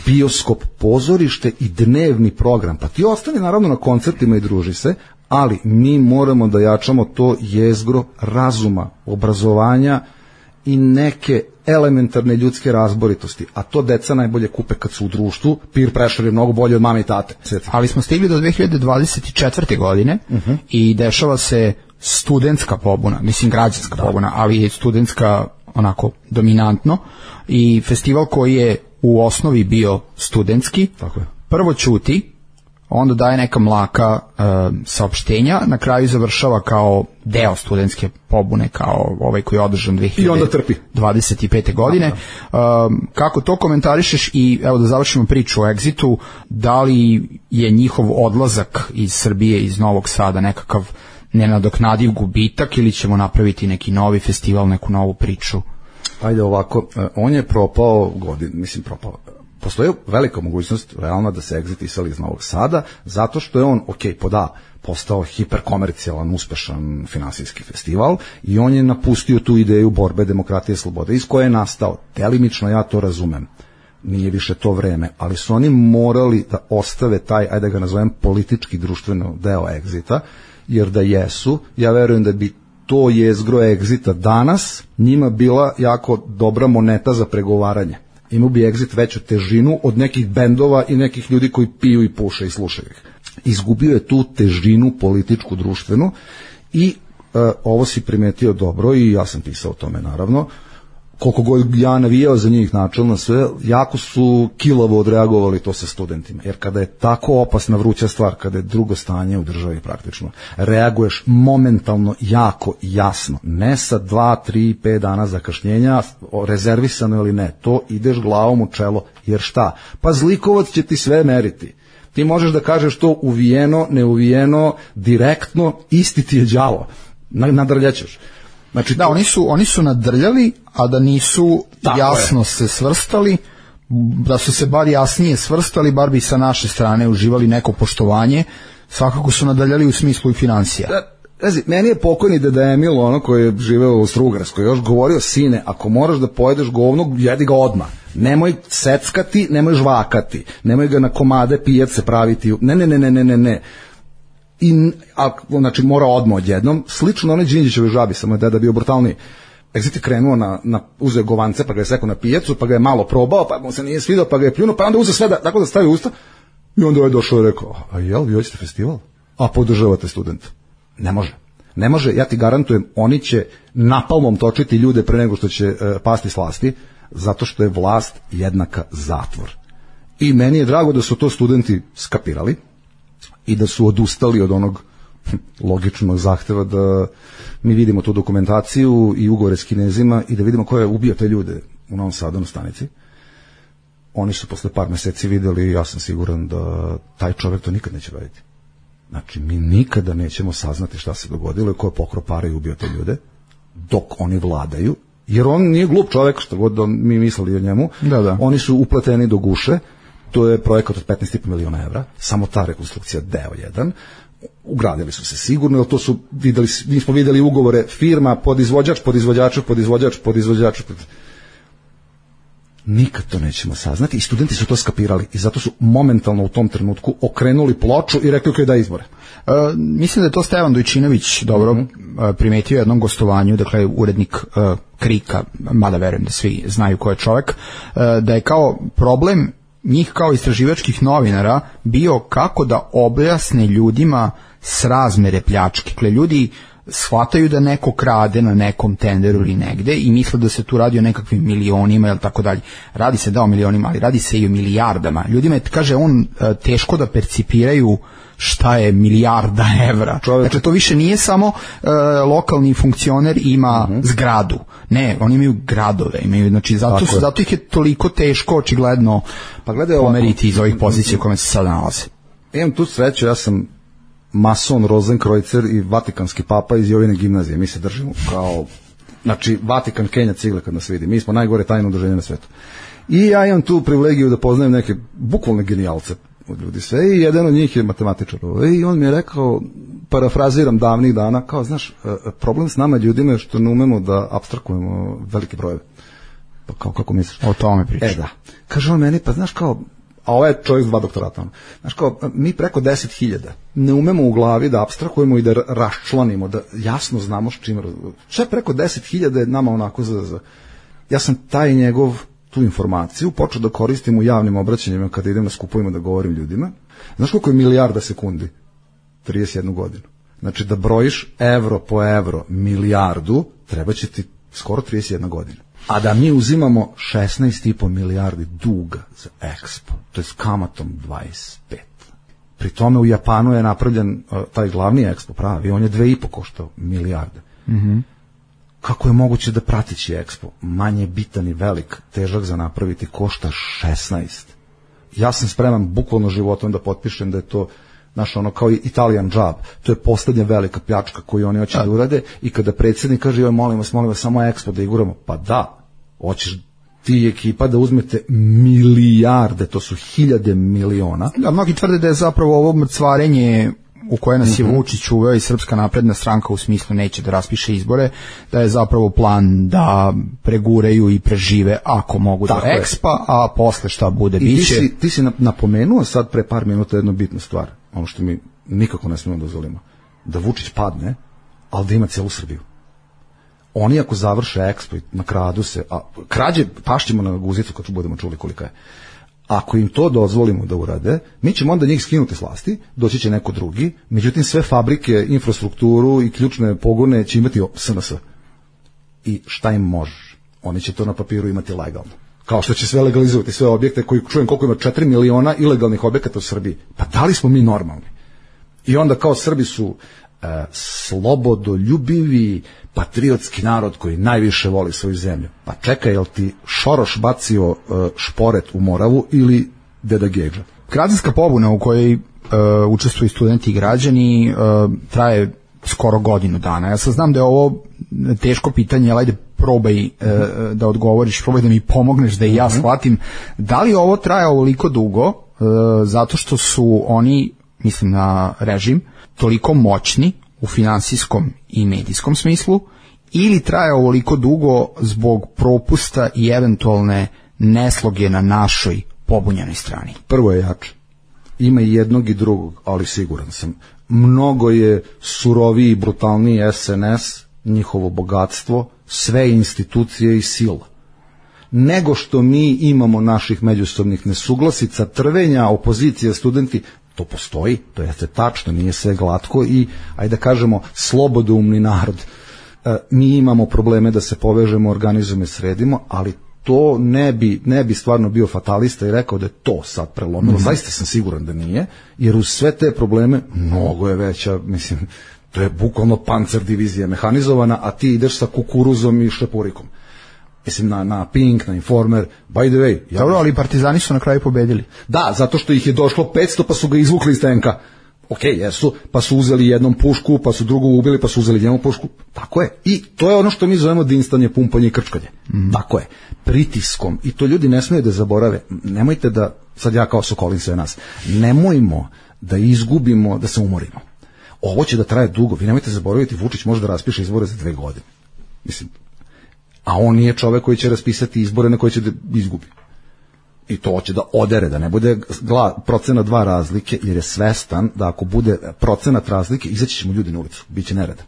Bioskop, pozorište i dnevni program. Pa ti ostani naravno na koncertima i druži se, ali mi moramo da jačamo to jezgro razuma, obrazovanja i neke elementarne ljudske razboritosti, a to deca najbolje kupe kad su u društvu. Peer pressure je mnogo bolji od mame i tate. Ali smo stigli do 2024. godine i dešava se studentska pobuna, mislim građanska pobuna, ali je studentska onako dominantno, i festival koji je u osnovi bio studentski, tako je, prvo ćuti, onda daje neka mlaka saopštenja, na kraju završava kao deo studentske pobune, kao ovaj koji je održan 2025. godine. Kako to komentarišeš? I evo da završimo priču o Exitu, da li je njihov odlazak iz Srbije, iz Novog Sada nekakav nenadoknadiv gubitak ili ćemo napraviti neki novi festival, neku novu priču? Ajde ovako, on je propao propao. Postoji velika mogućnost realno da se Exit iseli iz Novog Sada, zato što je on, postao hiperkomercijalan, uspešan finansijski festival i on je napustio tu ideju borbe, demokratije i slobode, iz koje je nastao. Delimično ja to razumem. Nije više to vreme, ali su oni morali da ostave taj, ajde da ga nazovem, politički društveno deo Exita, jer da jesu, ja verujem da bi to jezgro Exita danas njima bila jako dobra moneta za pregovaranje. Imao bi Exit veću težinu od nekih bendova i nekih ljudi koji piju i puše i slušaju ih. Izgubio je tu težinu političku, društvenu i ovo si primetio dobro i ja sam pisao o tome naravno. Koliko god ja navijao za njih načelno sve, jako su kilavo odreagovali to sa studentima. Jer kada je tako opasna vruća stvar, kada je drugo stanje u državi praktično, reaguješ momentalno, jako jasno. Ne sa 2, 3, 5 dana zakašnjenja, rezervisano ili ne. To ideš glavom u čelo, jer šta? Pa zlikovac će ti sve meriti. Ti možeš da kažeš to uvijeno, neuvijeno, direktno, isti ti je đavo. Nadrljaćeš. Znači, da, oni su nadrljali, a da nisu jasno se svrstali, da su se bar jasnije svrstali, bar bi sa naše strane uživali neko poštovanje, svakako su nadrljali u smislu i financija. Meni je pokojni deda Emil, ono koji je živeo u Strugarskoj, još govorio, sine, ako moraš da pojedeš govno, jedi ga odmah. Nemoj seckati, nemoj žvakati, nemoj ga na komade pijace praviti. Ne. Znači mora odmah odjednom, slično onaj Đinđićeve žabi, samo je deda bio brutalniji. Exit je krenuo uzeo govance, pa ga je sekao na pijacu, pa ga je malo probao, pa mu se nije svidao, pa ga je pljunuo, pa onda uzeo sve tako da stavi usta i onda je došao i rekao, a jel, vi hoćete festival? A podržavate studenta? Ne može, ja ti garantujem, oni će napalmom točiti ljude pre nego što će pasti s vlasti, zato što je vlast jednaka zatvor. I meni je drago da su to studenti skapirali i da su odustali od onog logičnog zahteva da mi vidimo tu dokumentaciju i ugovore s Kinezima i da vidimo ko je ubio te ljude u Novom Sadu na stanici. Oni su posle par meseci videli i ja sam siguran da taj čovjek to nikad neće raditi. Znači, mi nikada nećemo saznati šta se dogodilo i ko je pokrao pare i ubio te ljude dok oni vladaju, jer on nije glup čovjek, što god da mi mislili o njemu. Da. Oni su upleteni do guše. To je projekat od 15,5 miliona evra, samo ta rekonstrukcija deo jedan. Ugradili su se sigurno, jer to su mi smo videli ugovore firma, podizvođač. Nikad to nećemo saznati i studenti su to skapirali i zato su momentalno u tom trenutku okrenuli ploču i rekli da izbore. Mislim da je to Stevan Dojčinović dobro primetio u jednom gostovanju, dakle urednik Krika, mada verujem da svi znaju ko je čovek, da je kao problem njih kao istraživačkih novinara bio kako da objasne ljudima srazmere pljačke. Dakle, ljudi shvataju da neko krade na nekom tenderu ili negde i misle da se tu radi o nekakvim milionima ili tako dalje. Radi se o milionima, ali radi se i o milijardama. Ljudima je, kaže on, teško da percipiraju šta je milijarda evra. Dakle, to više nije samo lokalni funkcioner ima zgradu. Ne, oni imaju gradove, znači zato ih je toliko teško očigledno pomeriti iz ovih pozicija u kojima se sada nalaze. Imam tu sreću, ja sam mason Rozenkreuzer i vatikanski papa iz Jovine gimnazije. Mi se držimo kao, znači, Vatikan Kenja cigle kad nas vidi. Mi smo najgore tajno udruženje na svetu. I ja imam tu privilegiju da poznajem neke bukvalne genijalce od ljudi sve i jedan od njih je matematičar. I on mi je rekao, parafraziram davnih dana, kao, znaš, problem s nama ljudima je što ne umemo da apstrakujemo velike brojeve. Pa kao, kako misliš? O tome pričam. Da. Kaže on meni, pa znaš kao, a ovaj je čovjek s 2 doktorata. Znaš kao, mi preko 10.000 ne umemo u glavi da apstrakujemo i da raščlanimo, da jasno znamo s čim. Sve preko 10.000 je nama onako za... Ja sam taj njegov tu informaciju počeo da koristim u javnim obraćanjima kada idem na skupovima da govorim ljudima. Znaš koliko je milijarda sekundi? 31 godinu. Znači da brojiš evro po evro milijardu, treba će ti skoro 31 godina. A da mi uzimamo 16,5 milijardi duga za Expo, to je s kamatom 25. Pri tome u Japanu je napravljen taj glavni Expo pravi, on je 2,5 koštao milijarde. Kako je moguće da pratići Expo, manje bitan i velik, težak za napraviti, košta 16. Ja sam spreman bukvalno životom da potpišem da je to, znaš, ono kao Italian job, to je poslednja velika pljačka koju oni hoće da urade i kada predsjednik kaže, joj, molim vas, samo Expo da iguramo, pa da, hoćeš ti ekipa da uzmete milijarde, to su 1000 miliona. Da, mnogi tvrde da je zapravo ovo mrcvarenje u koje nas je Vučić uveo i Srpska napredna stranka u smislu neće da raspiše izbore, da je zapravo plan da pregureju i prežive ako mogu do Expa, a posle šta bude biće. Ti si napomenuo sad pre par minuta jednu bitnu stvar, ono što mi nikako ne smemo dozvolimo, da Vučić padne, ali da ima celu Srbiju. Oni ako završe Expo i nakradu se, a krađe pašćemo na guzicu kad budemo čuli kolika je. Ako im to dozvolimo da urade, mi ćemo onda njih skinuti s vlasti, doći će neko drugi, međutim sve fabrike, infrastrukturu i ključne pogone će imati SNS. I šta im možeš? Oni će to na papiru imati legalno. Kao što će sve legalizovati, sve objekte koji čujem koliko ima 4 miliona ilegalnih objekata u Srbiji. Pa da li smo mi normalni? I onda kao Srbi su slobodoljubivi, patriotski narod koji najviše voli svoju zemlju. Pa čekaj, jel ti Šoroš bacio šporet u Moravu ili Deda Gedža? Građanska pobuna u kojoj učestvuju studenti i građani traje skoro godinu dana. Ja sad znam da je ovo teško pitanje, ali ajde probaj da odgovoriš, probaj da mi pomogneš da i ja shvatim. Da li ovo traje ovoliko dugo zato što su oni, mislim na režim, toliko moćni u finansijskom i medijskom smislu, ili traje ovoliko dugo zbog propusta i eventualne nesloge na našoj pobunjenoj strani? Prvo je jače. Ima i jednog i drugog, ali siguran sam. Mnogo je suroviji i brutalniji SNS, njihovo bogatstvo, sve institucije i sila, nego što mi imamo naših međusobnih nesuglasica, trvenja, opozicija, studenti. To postoji, to jeste tačno, nije sve glatko i, ajde da kažemo, slobodoumni narod. Mi imamo probleme da se povežemo, organizujemo i sredimo, ali to ne bi stvarno bio fatalista i rekao da je to sad prelomilo. Zaista sam siguran da nije, jer uz sve te probleme mnogo je veća, mislim, to je bukvalno pancer divizija mehanizovana, a ti ideš sa kukuruzom i šlepurikom. Mislim, na Pink, na Informer, by the way. Dobro, ali partizani su na kraju pobedili. Da, zato što ih je došlo 500, pa su ga izvukli iz tenka. Okej, jesu, pa su uzeli jednom pušku, pa su drugu ubili, pa su uzeli jednom pušku. Tako je. I to je ono što mi zovemo dinstanje, pumpanje i krčkanje. Tako je. Pritiskom. I to ljudi ne smiju da zaborave. Nemojte da, sad ja kao Sokolin sve nas, nemojmo da izgubimo, da se umorimo. Ovo će da traje dugo. Vi nemojte zaboraviti, Vučić može da raspiše izbore za 2 godine. Mislim, a on nije čovek koji će raspisati izbore na koje će da izgubi. I to hoće da odere, da ne bude procenat 2 razlike, jer je svestan da ako bude procenat razlike, izaći ćemo ljudi na ulicu, bit će nereda.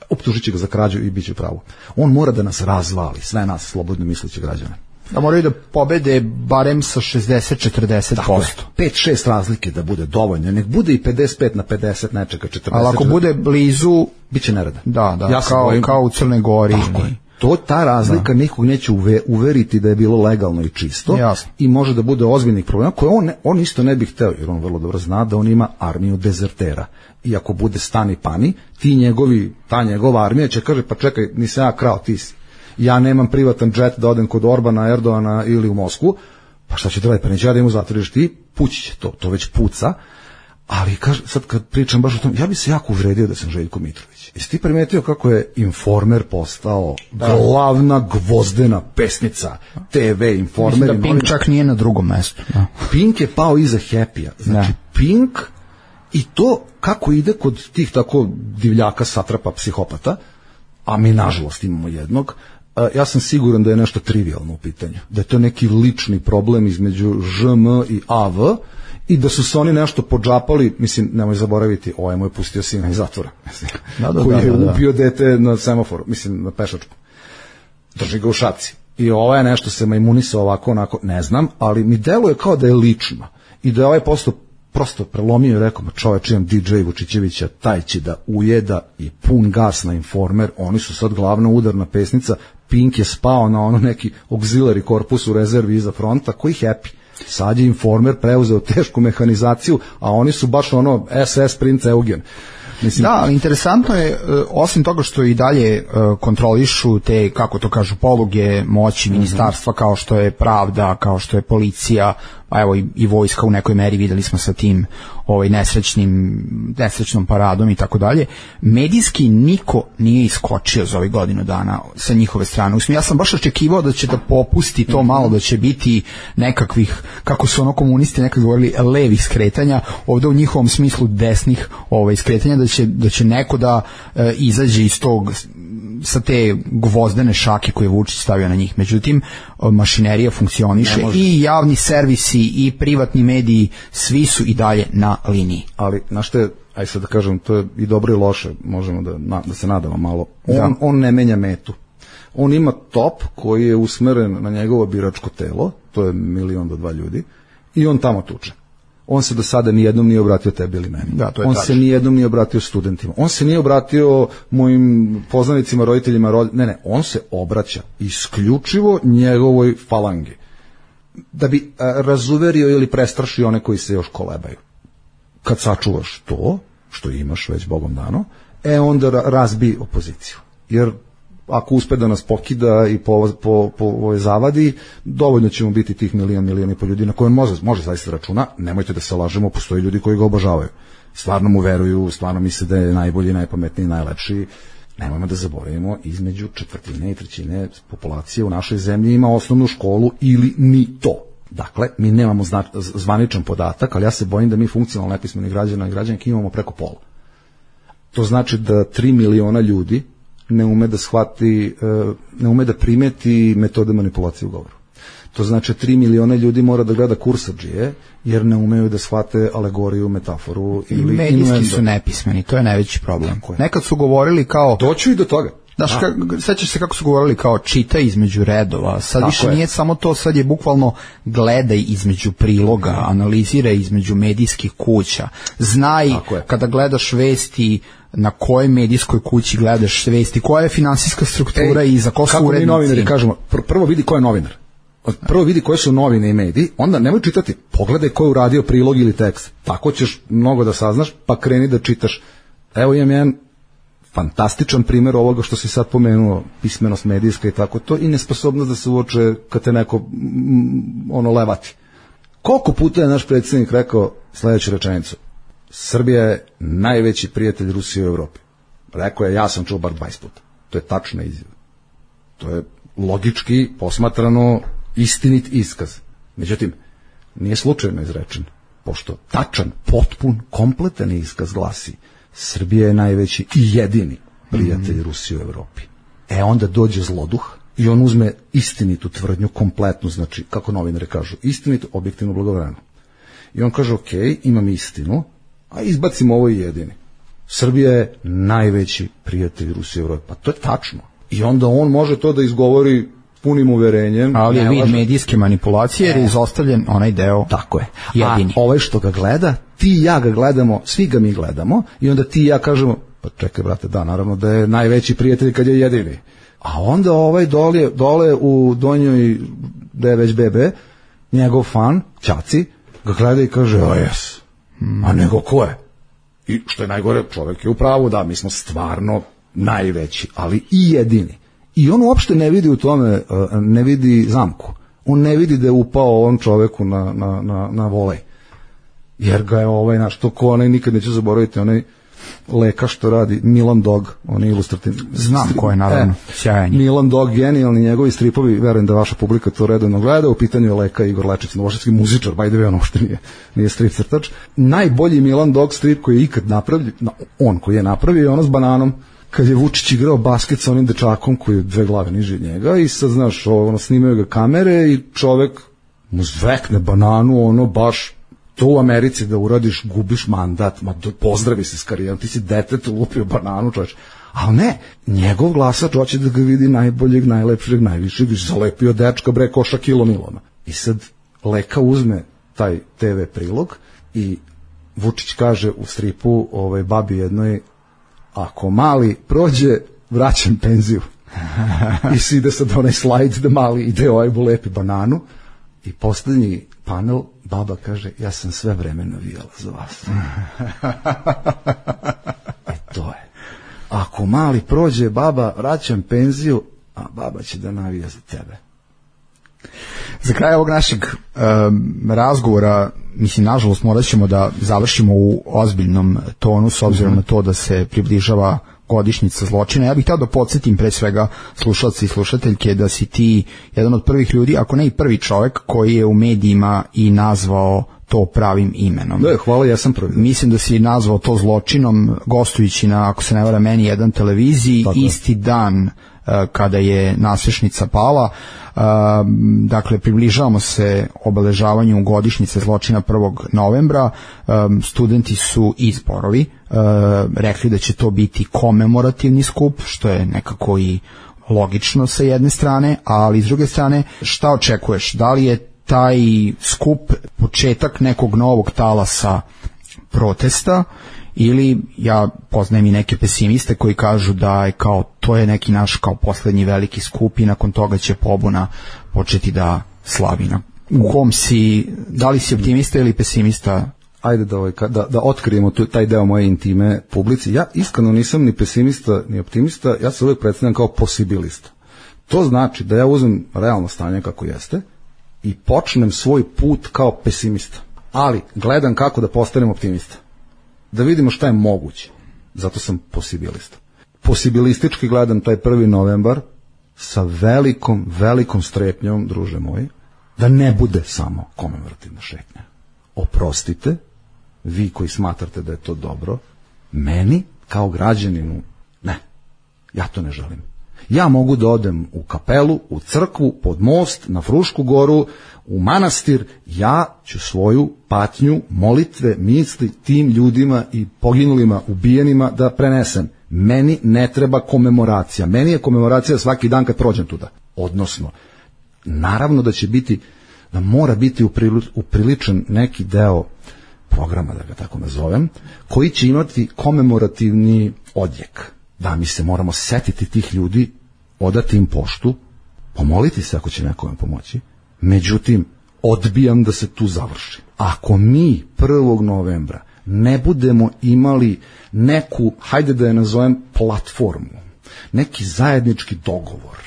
Optužit će ga za krađu i bit će pravo. On mora da nas razvali, sve nas slobodno misleće građane. Da moraju da pobede barem sa 60-40%. 5-6 razlike da bude dovoljno, nek bude i 55-50 nečega, 40. Ali ako bude blizu, bit će nereda. Da, ja kao u Crnoj Gori. Tako je. Ta razlika nikog neće uveriti da je bilo legalno i čisto. Jasno. I može da bude ozbiljnih problema koje on isto ne bi hteo, jer on vrlo dobro zna da on ima armiju dezertera. I ako bude stani pani, ta njegova armija će kaže, pa čekaj, nisam ja krao, ti si. Ja nemam privatan džet da odem kod Orbana, Erdogana ili u Moskvu, pa šta će da radi, pa neće ja da im zatvoriš ti, pući će to već puca. Ali sad kad pričam baš o tom, ja bi se jako uvredio da sam Željko Mitrović. Jesi ti primetio kako je Informer postao glavna gvozdena pesnica TV Informer? Mislim da Pink čak nije na drugom mestu. Da. Pink je pao iza Happy-a. Znači Pink i to kako ide kod tih tako divljaka, satrapa, psihopata, a mi nažalost imamo jednog, ja sam siguran da je nešto trivialno u pitanju. Da je to neki lični problem između ŽM i AV i da su se oni nešto podžapali, mislim, nemoj zaboraviti, ovaj mu je pustio sina iz zatvora, koji je ubio dete na semaforu, mislim, na pešačku. Drži ga u šaci. I ovaj je nešto se majmunisao ovako, onako, ne znam, ali mi deluje kao da je lično. I da je ovaj prosto prelomio i rekao, čoveč, imam DJ Vučićevića, taj će da ujeda i pun gas na Informer, oni su sad glavna udarna pesnica, Pink je spao na ono neki auxiliary korpus u rezervi iza fronta, koji Happy. Sad je Informer preuzeo tešku mehanizaciju, a oni su baš ono SS princ Eugen. Mislim, da, ali interesantno je, osim toga što i dalje kontrolišu te, kako to kažu, poluge moći ministarstva, kao što je pravda, kao što je policija, a evo i vojska u nekoj meri, videli smo sa tim nesrećnom paradom i tako dalje. Medijski niko nije iskočio za ovih godinu dana sa njihove strane. Ja sam baš očekivao da će da popusti to malo, da će biti nekakvih, kako su komunisti nekad govorili, levih skretanja, ovde u njihovom smislu desnih skretanja, da će neko da izađe iz tog, sa te gvozdene šake koje je Vučić stavio na njih. Međutim, mašinerija funkcioniše i javni servisi i privatni mediji, svi su i dalje na liniji. Ali, znaš te, aj sad da kažem, to je i dobro i loše, možemo da se nadamo malo. On ne menja metu. On ima top koji je usmeren na njegovo biračko telo, to je 1 do 2 ljudi, i on tamo tuče. On se do sada nijednom nije obratio tebi ili meni. Da, on se nijednom nije obratio studentima. On se nije obratio mojim poznanicima, roditeljima. Ne, on se obraća isključivo njegovoj falangi. Da bi razuverio ili prestrašio one koji se još kolebaju. Kad sačuvaš to, što imaš već Bogom dano, onda razbi opoziciju. Jer ako uspe da nas pokida i po zavadi, dovoljno ćemo biti tih milion i po ljudi na koje može zaista računa. Nemojte da se lažemo, postoje ljudi koji ga obožavaju. Stvarno mu veruju, stvarno misle da je najbolji, najpametniji, najlepši. Nemojmo da zaboravimo, između 1/4 i 1/3 populacije u našoj zemlji ima osnovnu školu ili ni to. Dakle, mi nemamo zvaničan podatak, ali ja se bojim da mi funkcionalno nepismeni građana i građanke imamo preko pola. To znači da 3 miliona ljudi ne ume da shvati, ne ume da primeti metode manipulacije u govoru. To znači 3 miliona ljudi mora da gleda kursadžije, jer ne umeju da shvate alegoriju, metaforu ili medijski su nepismeni, to je najveći problem. Nekad su govorili kao... Doću i do toga. Znaš, sećaš se kako su govorili kao čita između redova, sad više nije samo to, sad je bukvalno gledaj između priloga, analiziraj između medijskih kuća, znaj kada gledaš vesti na kojoj medijskoj kući gledaš vesti, koja je finansijska struktura i za ko su urednici. Kako mi novinari kažemo, prvo vidi ko je novinar, prvo vidi koje su novine i mediji, onda nemoj čitati, pogledaj ko je uradio prilog ili tekst, tako ćeš mnogo da saznaš, pa kreni da čitaš. Evo imam jedan fantastičan primjer ovoga što si sad pomenuo, pismenost medijska i tako to, i nesposobnost da se uoče kad te neko levati. Koliko puta je naš predsjednik rekao sledeću rečenicu: Srbija je najveći prijatelj Rusije u Evropi. Rekao je, ja sam čuo bar 20 puta. To je tačna izjava. To je logički posmatrano istinit iskaz. Međutim, nije slučajno izrečen, pošto tačan, potpun, kompletan iskaz glasi: Srbija je najveći i jedini prijatelj Rusije u Evropi. Onda dođe zloduh i on uzme istinitu tvrdnju, kompletnu, znači, kako novinari kažu, istinitu, objektivno, blagovremeno. I on kaže, ok, imam istinu, a izbacimo ovo i jedini. Srbija je najveći prijatelj Rusije u Evropi. Pa to je tačno. I onda on može to da izgovori punim uverenjem. Ali je vid medijske manipulacije jer je izostavljen onaj deo. Tako je. Jedini. A ovaj što ga gleda, ti i ja ga gledamo, svi ga mi gledamo, i onda ti i ja kažemo, pa čekaj brate, da, naravno da je najveći prijatelj kad je jedini. A onda ovaj dole u donjoj, da je već bebe, njegov fan, Ćaci, ga gleda i kaže, o jes, a nego ko je? I što je najgore, čovjek je u pravu, da, mi smo stvarno najveći, ali i jedini. I on uopšte ne vidi u tome, ne vidi zamku. On ne vidi da je upao on čoveku na volej. jer ga je naš, to ko onaj, nikad neću zaboraviti, onaj Leka što radi, Milan Dog, on je ilustrativni. Znam ko je, naravno, sjajan. Milan Dog, genijalni, njegovi stripovi, verujem da vaša publika to redovno gleda, u pitanju je Leka Igor Lečić, novosadski muzičar, by the way, on uopšte nije strip crtač. Najbolji Milan Dog strip koji je ikad napravljen, on koji je napravio je ono s bananom, kad je Vučić igrao basket sa onim dečakom koji je 2 glave niže od njega i sad, znaš, snimaju ga kamere i čovek mu zvekne bananu, baš to u Americi da uradiš, gubiš mandat, pozdravi se s karijerom, ti si detetu lupio bananu, čoveč. Ali ne, njegov glasač hoće da ga vidi najboljeg, najlepšeg, najvišeg, zalepio dečka, bre, koša kilo Milona. I sad Leka uzme taj TV prilog i Vučić kaže u stripu babi jednoj, ako mali prođe, vraćam penziju. I si ide sad onaj slajd da mali ide lepi bananu i poslednji panel, baba kaže, ja sam sve vreme navijala za vas. To je. Ako mali prođe, baba, vraćam penziju, a baba će da navija za tebe. Za kraj ovog našeg razgovora, mislim, nažalost, morat ćemo da završimo u ozbiljnom tonu, s obzirom na to da se približava godišnjica zločina. Ja bih htio da podsjetim pre svega slušalci i slušateljke da si ti jedan od prvih ljudi, ako ne i prvi čovjek koji je u medijima i nazvao to pravim imenom. Da, hvala, ja sam prvi. Mislim da si nazvao to zločinom gostujući na, ako se ne vara, meni jedan televiziji, tako isti dan kada je nasrešnica pala. Dakle, približavamo se obeležavanju godišnjice zločina 1. novembra. Studenti su i zborovi rekli da će to biti komemorativni skup, što je nekako i logično sa jedne strane, ali s druge strane, šta očekuješ? Da li je taj skup početak nekog novog talasa protesta, ili ja poznajem i neke pesimiste koji kažu da je kao to je neki naš kao poslednji veliki skup i nakon toga će pobuna početi da slavi. U kom si, da li si optimista ili pesimista? Ajde da otkrijemo taj deo moje intime publici. Ja iskreno nisam ni pesimista ni optimista, ja se uvijek predstavljam kao posibilista. To znači da ja uzmem realno stanje kako jeste i počnem svoj put kao pesimista, ali gledam kako da postanem optimista, da vidimo šta je moguće. Zato sam posibilista. Posibilistički gledam taj 1. novembar sa velikom strepnjom, druže moji, da ne bude samo komemorativna šetnja. Oprostite, vi koji smatrate da je to dobro, meni kao građaninu, ne, ja to ne želim. Ja mogu da odem u kapelu, u crkvu, pod most, na Frušku goru, u manastir, ja ću svoju patnju, molitve, misli tim ljudima i poginulima, ubijenima da prenesem. Meni ne treba komemoracija. Meni je komemoracija svaki dan kad prođem tuda. Odnosno, naravno da će biti, da mora biti upriličen neki deo programa, da ga tako nazovem, koji će imati komemorativni odjek. Da, mi se moramo setiti tih ljudi, odati im poštu, pomoliti se ako će nekome pomoći. Međutim, odbijam da se tu završi. Ako mi 1. novembra ne budemo imali neku, hajde da je nazovem, platformu, neki zajednički dogovor,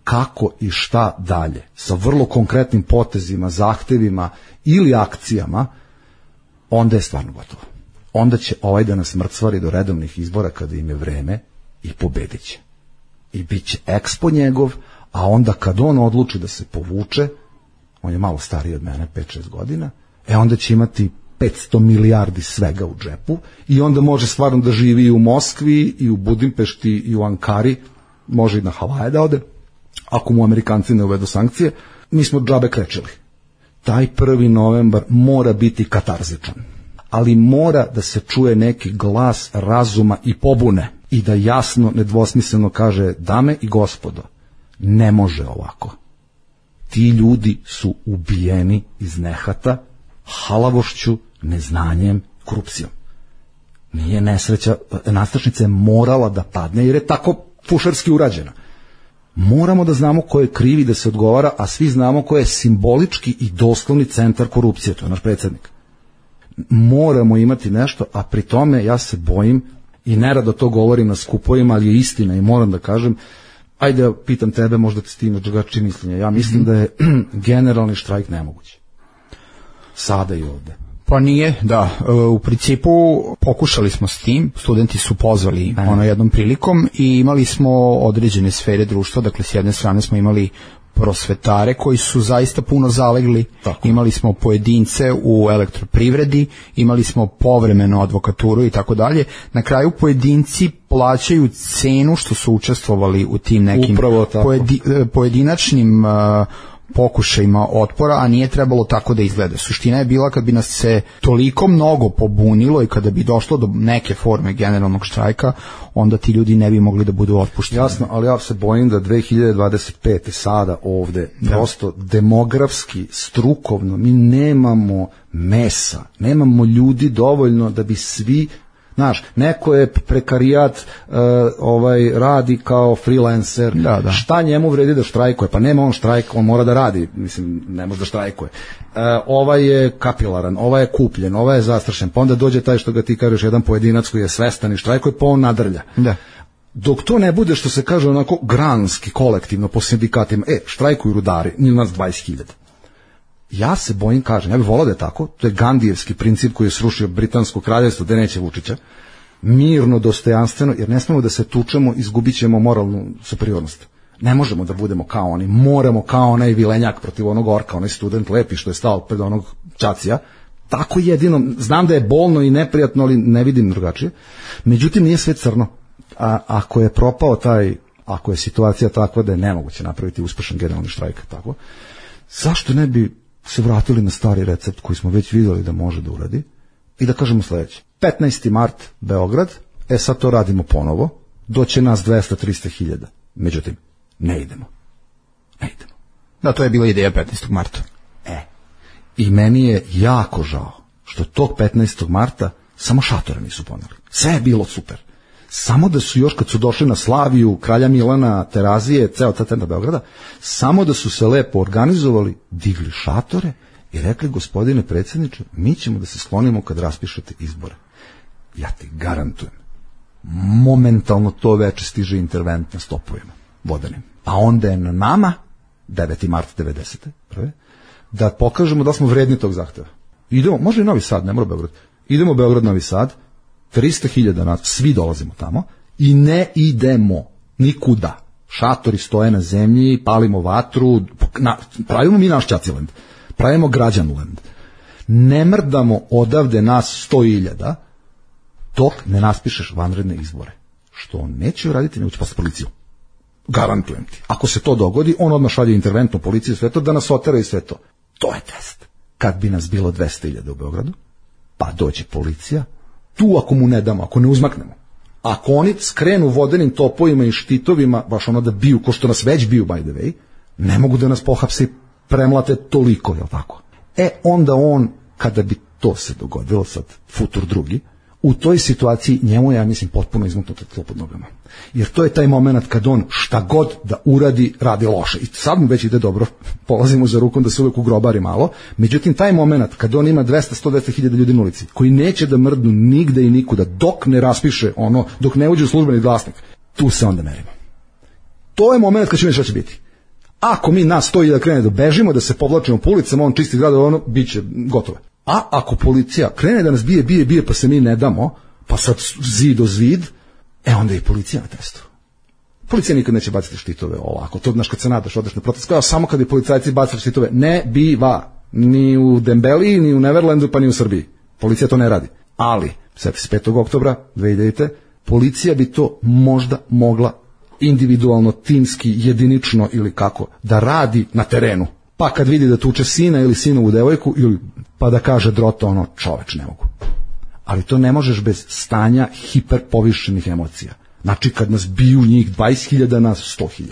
kako i šta dalje, sa vrlo konkretnim potezima, zahtevima ili akcijama, onda je stvarno gotovo. Onda će da nas mrcvari do redovnih izbora kada im je vreme i pobedit će. I bit će ekspo njegov, a onda kad on odluči da se povuče, on je malo stariji od mene, 5-6 godina, onda će imati 500 milijardi svega u džepu i onda može stvarno da živi i u Moskvi, i u Budimpešti, i u Ankari, može i na Havaje da ode, ako mu Amerikanci ne uvedu sankcije. Mi smo džabe krečili. Taj 1. novembar mora biti katarzičan, ali mora da se čuje neki glas razuma i pobune i da jasno, nedvosmisleno kaže, dame i gospodo, ne može ovako. Ti ljudi su ubijeni iz nehata, halavošću, neznanjem, korupcijom. Nije nesreća, nastrešnica je morala da padne jer je tako fušarski urađena. Moramo da znamo ko je krivi da se odgovara, a svi znamo ko je simbolički i doslovni centar korupcije, to je naš predsjednik. Moramo imati nešto, a pri tome ja se bojim i nerado to govorim na skupovima, ali je istina i moram da kažem, ajde ja pitam tebe, možda ti s tim drugačije mišljenje. Ja mislim da je generalni štrajk nemoguć. Sada i ovde. Pa nije, da. U principu pokušali smo s tim, studenti su pozvali jednom prilikom i imali smo određene sfere društva, dakle s jedne strane smo imali prosvetare koji su zaista puno zalegli, imali smo pojedince u elektroprivredi, imali smo povremeno advokaturu i tako dalje. Na kraju pojedinci plaćaju cenu što su učestvovali u tim nekim pojedinačnim pokušajima otpora, a nije trebalo tako da izgleda. Suština je bila kad bi nas se toliko mnogo pobunilo i kada bi došlo do neke forme generalnog štrajka, onda ti ljudi ne bi mogli da budu otpušteni. Jasno, ali ja se bojim da 2025. sada ovde prosto demografski, strukovno, mi nemamo mesa, nemamo ljudi dovoljno da bi svi. Znaš, neko je prekarijat, radi kao freelancer, šta njemu vredi da štrajkuje? Pa nema on štrajk, on mora da radi, mislim, ne može da štrajkuje. Ovaj je kapilaran, ovaj je kupljen, ovaj je zastrašen, pa onda dođe taj što ga ti kažeš, jedan pojedinac koji je svestan i štrajkuje, pa on nadrlja. Da. Dok to ne bude, što se kaže onako granski, kolektivno, po sindikatima, štrajkuju rudari, njih nas 20.000. Ja se bojim, kažem, ja bih volao da je tako, to je Gandijevski princip koji je srušio Britansko kraljevstvo, gde neće Vučića, mirno, dostojanstveno, jer ne smemo da se tučemo, izgubit ćemo moralnu superiornost. Ne možemo da budemo kao oni, moramo kao onaj vilenjak protiv onog orka, onaj student lepi što je stao pred onog Čacija, tako jedino, znam da je bolno i neprijatno, ali ne vidim drugačije, međutim nije sve crno, a ako je propao ako je situacija takva da je nemoguće napraviti uspešan generalni štrajk, tako, zašto ne bi se vratili na stari recept koji smo već vidjeli da može da uradi i da kažemo sledeće. 15. mart Beograd, sad to radimo ponovo, doće nas 200-300 hiljada. Međutim, ne idemo. Da, to je bila ideja 15. marta. I meni je jako žao što tog 15. marta samo šatore nisu poneli. Sve je bilo super. Samo da su još kad su došli na Slaviju, Kralja Milana, Terazije, ceo ta centar Beograda, samo da su se lepo organizovali, digli šatore i rekli, gospodine predsjedniče, mi ćemo da se sklonimo kad raspišete izbore. Ja ti garantujem, momentalno to veče stiže intervent na stopovima vodenim. A onda je na nama, 9. mart 90. prve, da pokažemo da smo vredni tog zahteva. Idemo, može i Novi Sad, ne mora Beograd. Idemo Beograd, Novi Sad, 300.000 nas, svi dolazimo tamo i ne idemo nikuda. Šatori stoje na zemlji, palimo vatru, pravimo mi naš Čaciland, pravimo Građanland. Ne mrdamo odavde nas 100.000 dok ne raspišeš vanredne izbore. Što on neće uraditi, neće poslati policiju. Garantujem ti. Ako se to dogodi, on odmah šalje interventnu policiju, sve to da nas otera i sve to. To je test. Kad bi nas bilo 200.000 u Beogradu, pa dođe policija, tu ako mu ne damo, ako ne uzmaknemo, ako oni skrenu vodenim topovima i štitovima, baš ono da biju, ko što nas već biju, by the way, ne mogu da nas pohapse i premlate toliko, jel tako? Onda on, kada bi to se dogodilo, sad futur drugi, u toj situaciji njemu ja mislim potpuno izmuknuto tlo pod nogama. Jer to je taj moment kad on šta god da uradi, radi loše. I sad mu već ide dobro, polazimo za rukom da se uvek ugrobari malo. Međutim, taj moment kad on ima 200-100 hiljada ljudi na ulici, koji neće da mrdnu nigde i nikuda, dok ne raspiše ono, dok ne uđe u službeni glasnik, tu se onda merimo. To je moment kad će šta će biti. Ako mi nas 100.000 krene da bežimo, da se povlačimo po ulicama, on čisti grad, ono, bit će gotovo. A ako policija krene da nas bije, pa se mi ne damo, pa sad zid o zid, onda je i policija na testu. Policija nikad neće baciti štitove ovako. To, znaš, kad se nadaš, odeš na protest, kao samo kad je policajci bacili štitove, ne biva. Ni u Dembeliji, ni u Neverlandu, pa ni u Srbiji. Policija to ne radi. Ali, 5. oktobra 2000. policija bi to možda mogla individualno, timski, jedinično ili kako, da radi na terenu. Pa kad vidi da tuče sina ili sinovu devojku, ili pa da kaže Drota ono, čoveč, ne mogu. Ali to ne možeš bez stanja hiperpovišenih emocija. Znači kad nas biju njih 20.000, nas 100.000.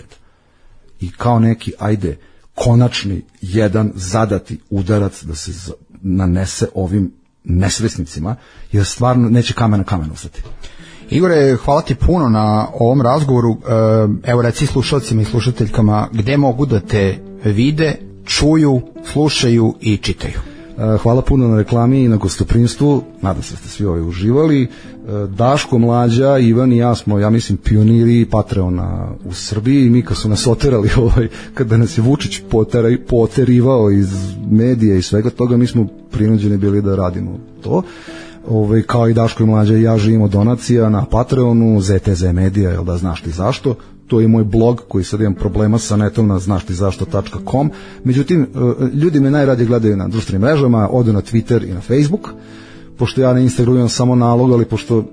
I kao neki, ajde, konačni jedan zadati udarac da se nanese ovim nesvesnicima, jer stvarno neće kamen na kamen ostati. Igore, hvala ti puno na ovom razgovoru. Evo reci slušalcima i slušateljkama gde mogu da te vide, čuju, slušaju i čitaju. Hvala puno na reklami i na gostoprimstvu, nadam se da ste svi uživali. Daško, Mlađa, Ivan i ja smo, ja mislim, pioniri Patreona u Srbiji i mi kad su nas oterali, kada nas je Vučić poterivao iz medija i svega toga, mi smo prinuđeni bili da radimo to. Kao i Daško i Mlađa i ja živimo donacija na Patreonu, ZTZ Media, jel da, znaš ti zašto. To je moj blog koji sad imam problema sa netom na znaštizašto.com. Međutim, ljudi me najradije gledaju na društvenim mrežama, odu na Twitter i na Facebook, pošto ja na Instagramu imam samo nalog, ali pošto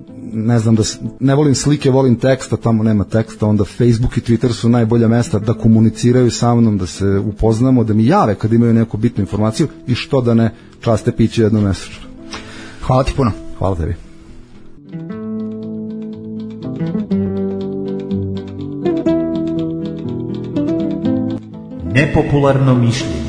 ne volim slike, volim teksta, tamo nema teksta, onda Facebook i Twitter su najbolja mesta da komuniciraju sa mnom, da se upoznamo, da mi jave kad imaju neku bitnu informaciju i što da ne časte piće jednomesečno. Hvala ti puno. Hvala tebi. Nepopularno mišljenje.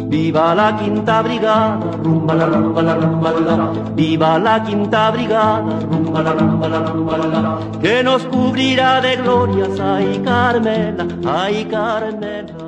Viva la quinta brigada, rumba la rumba la rumba la. Viva la quinta brigada, rumba la rumba la rumba la. Que nos cubrirá de glorias, ay Carmela, ay Carmela.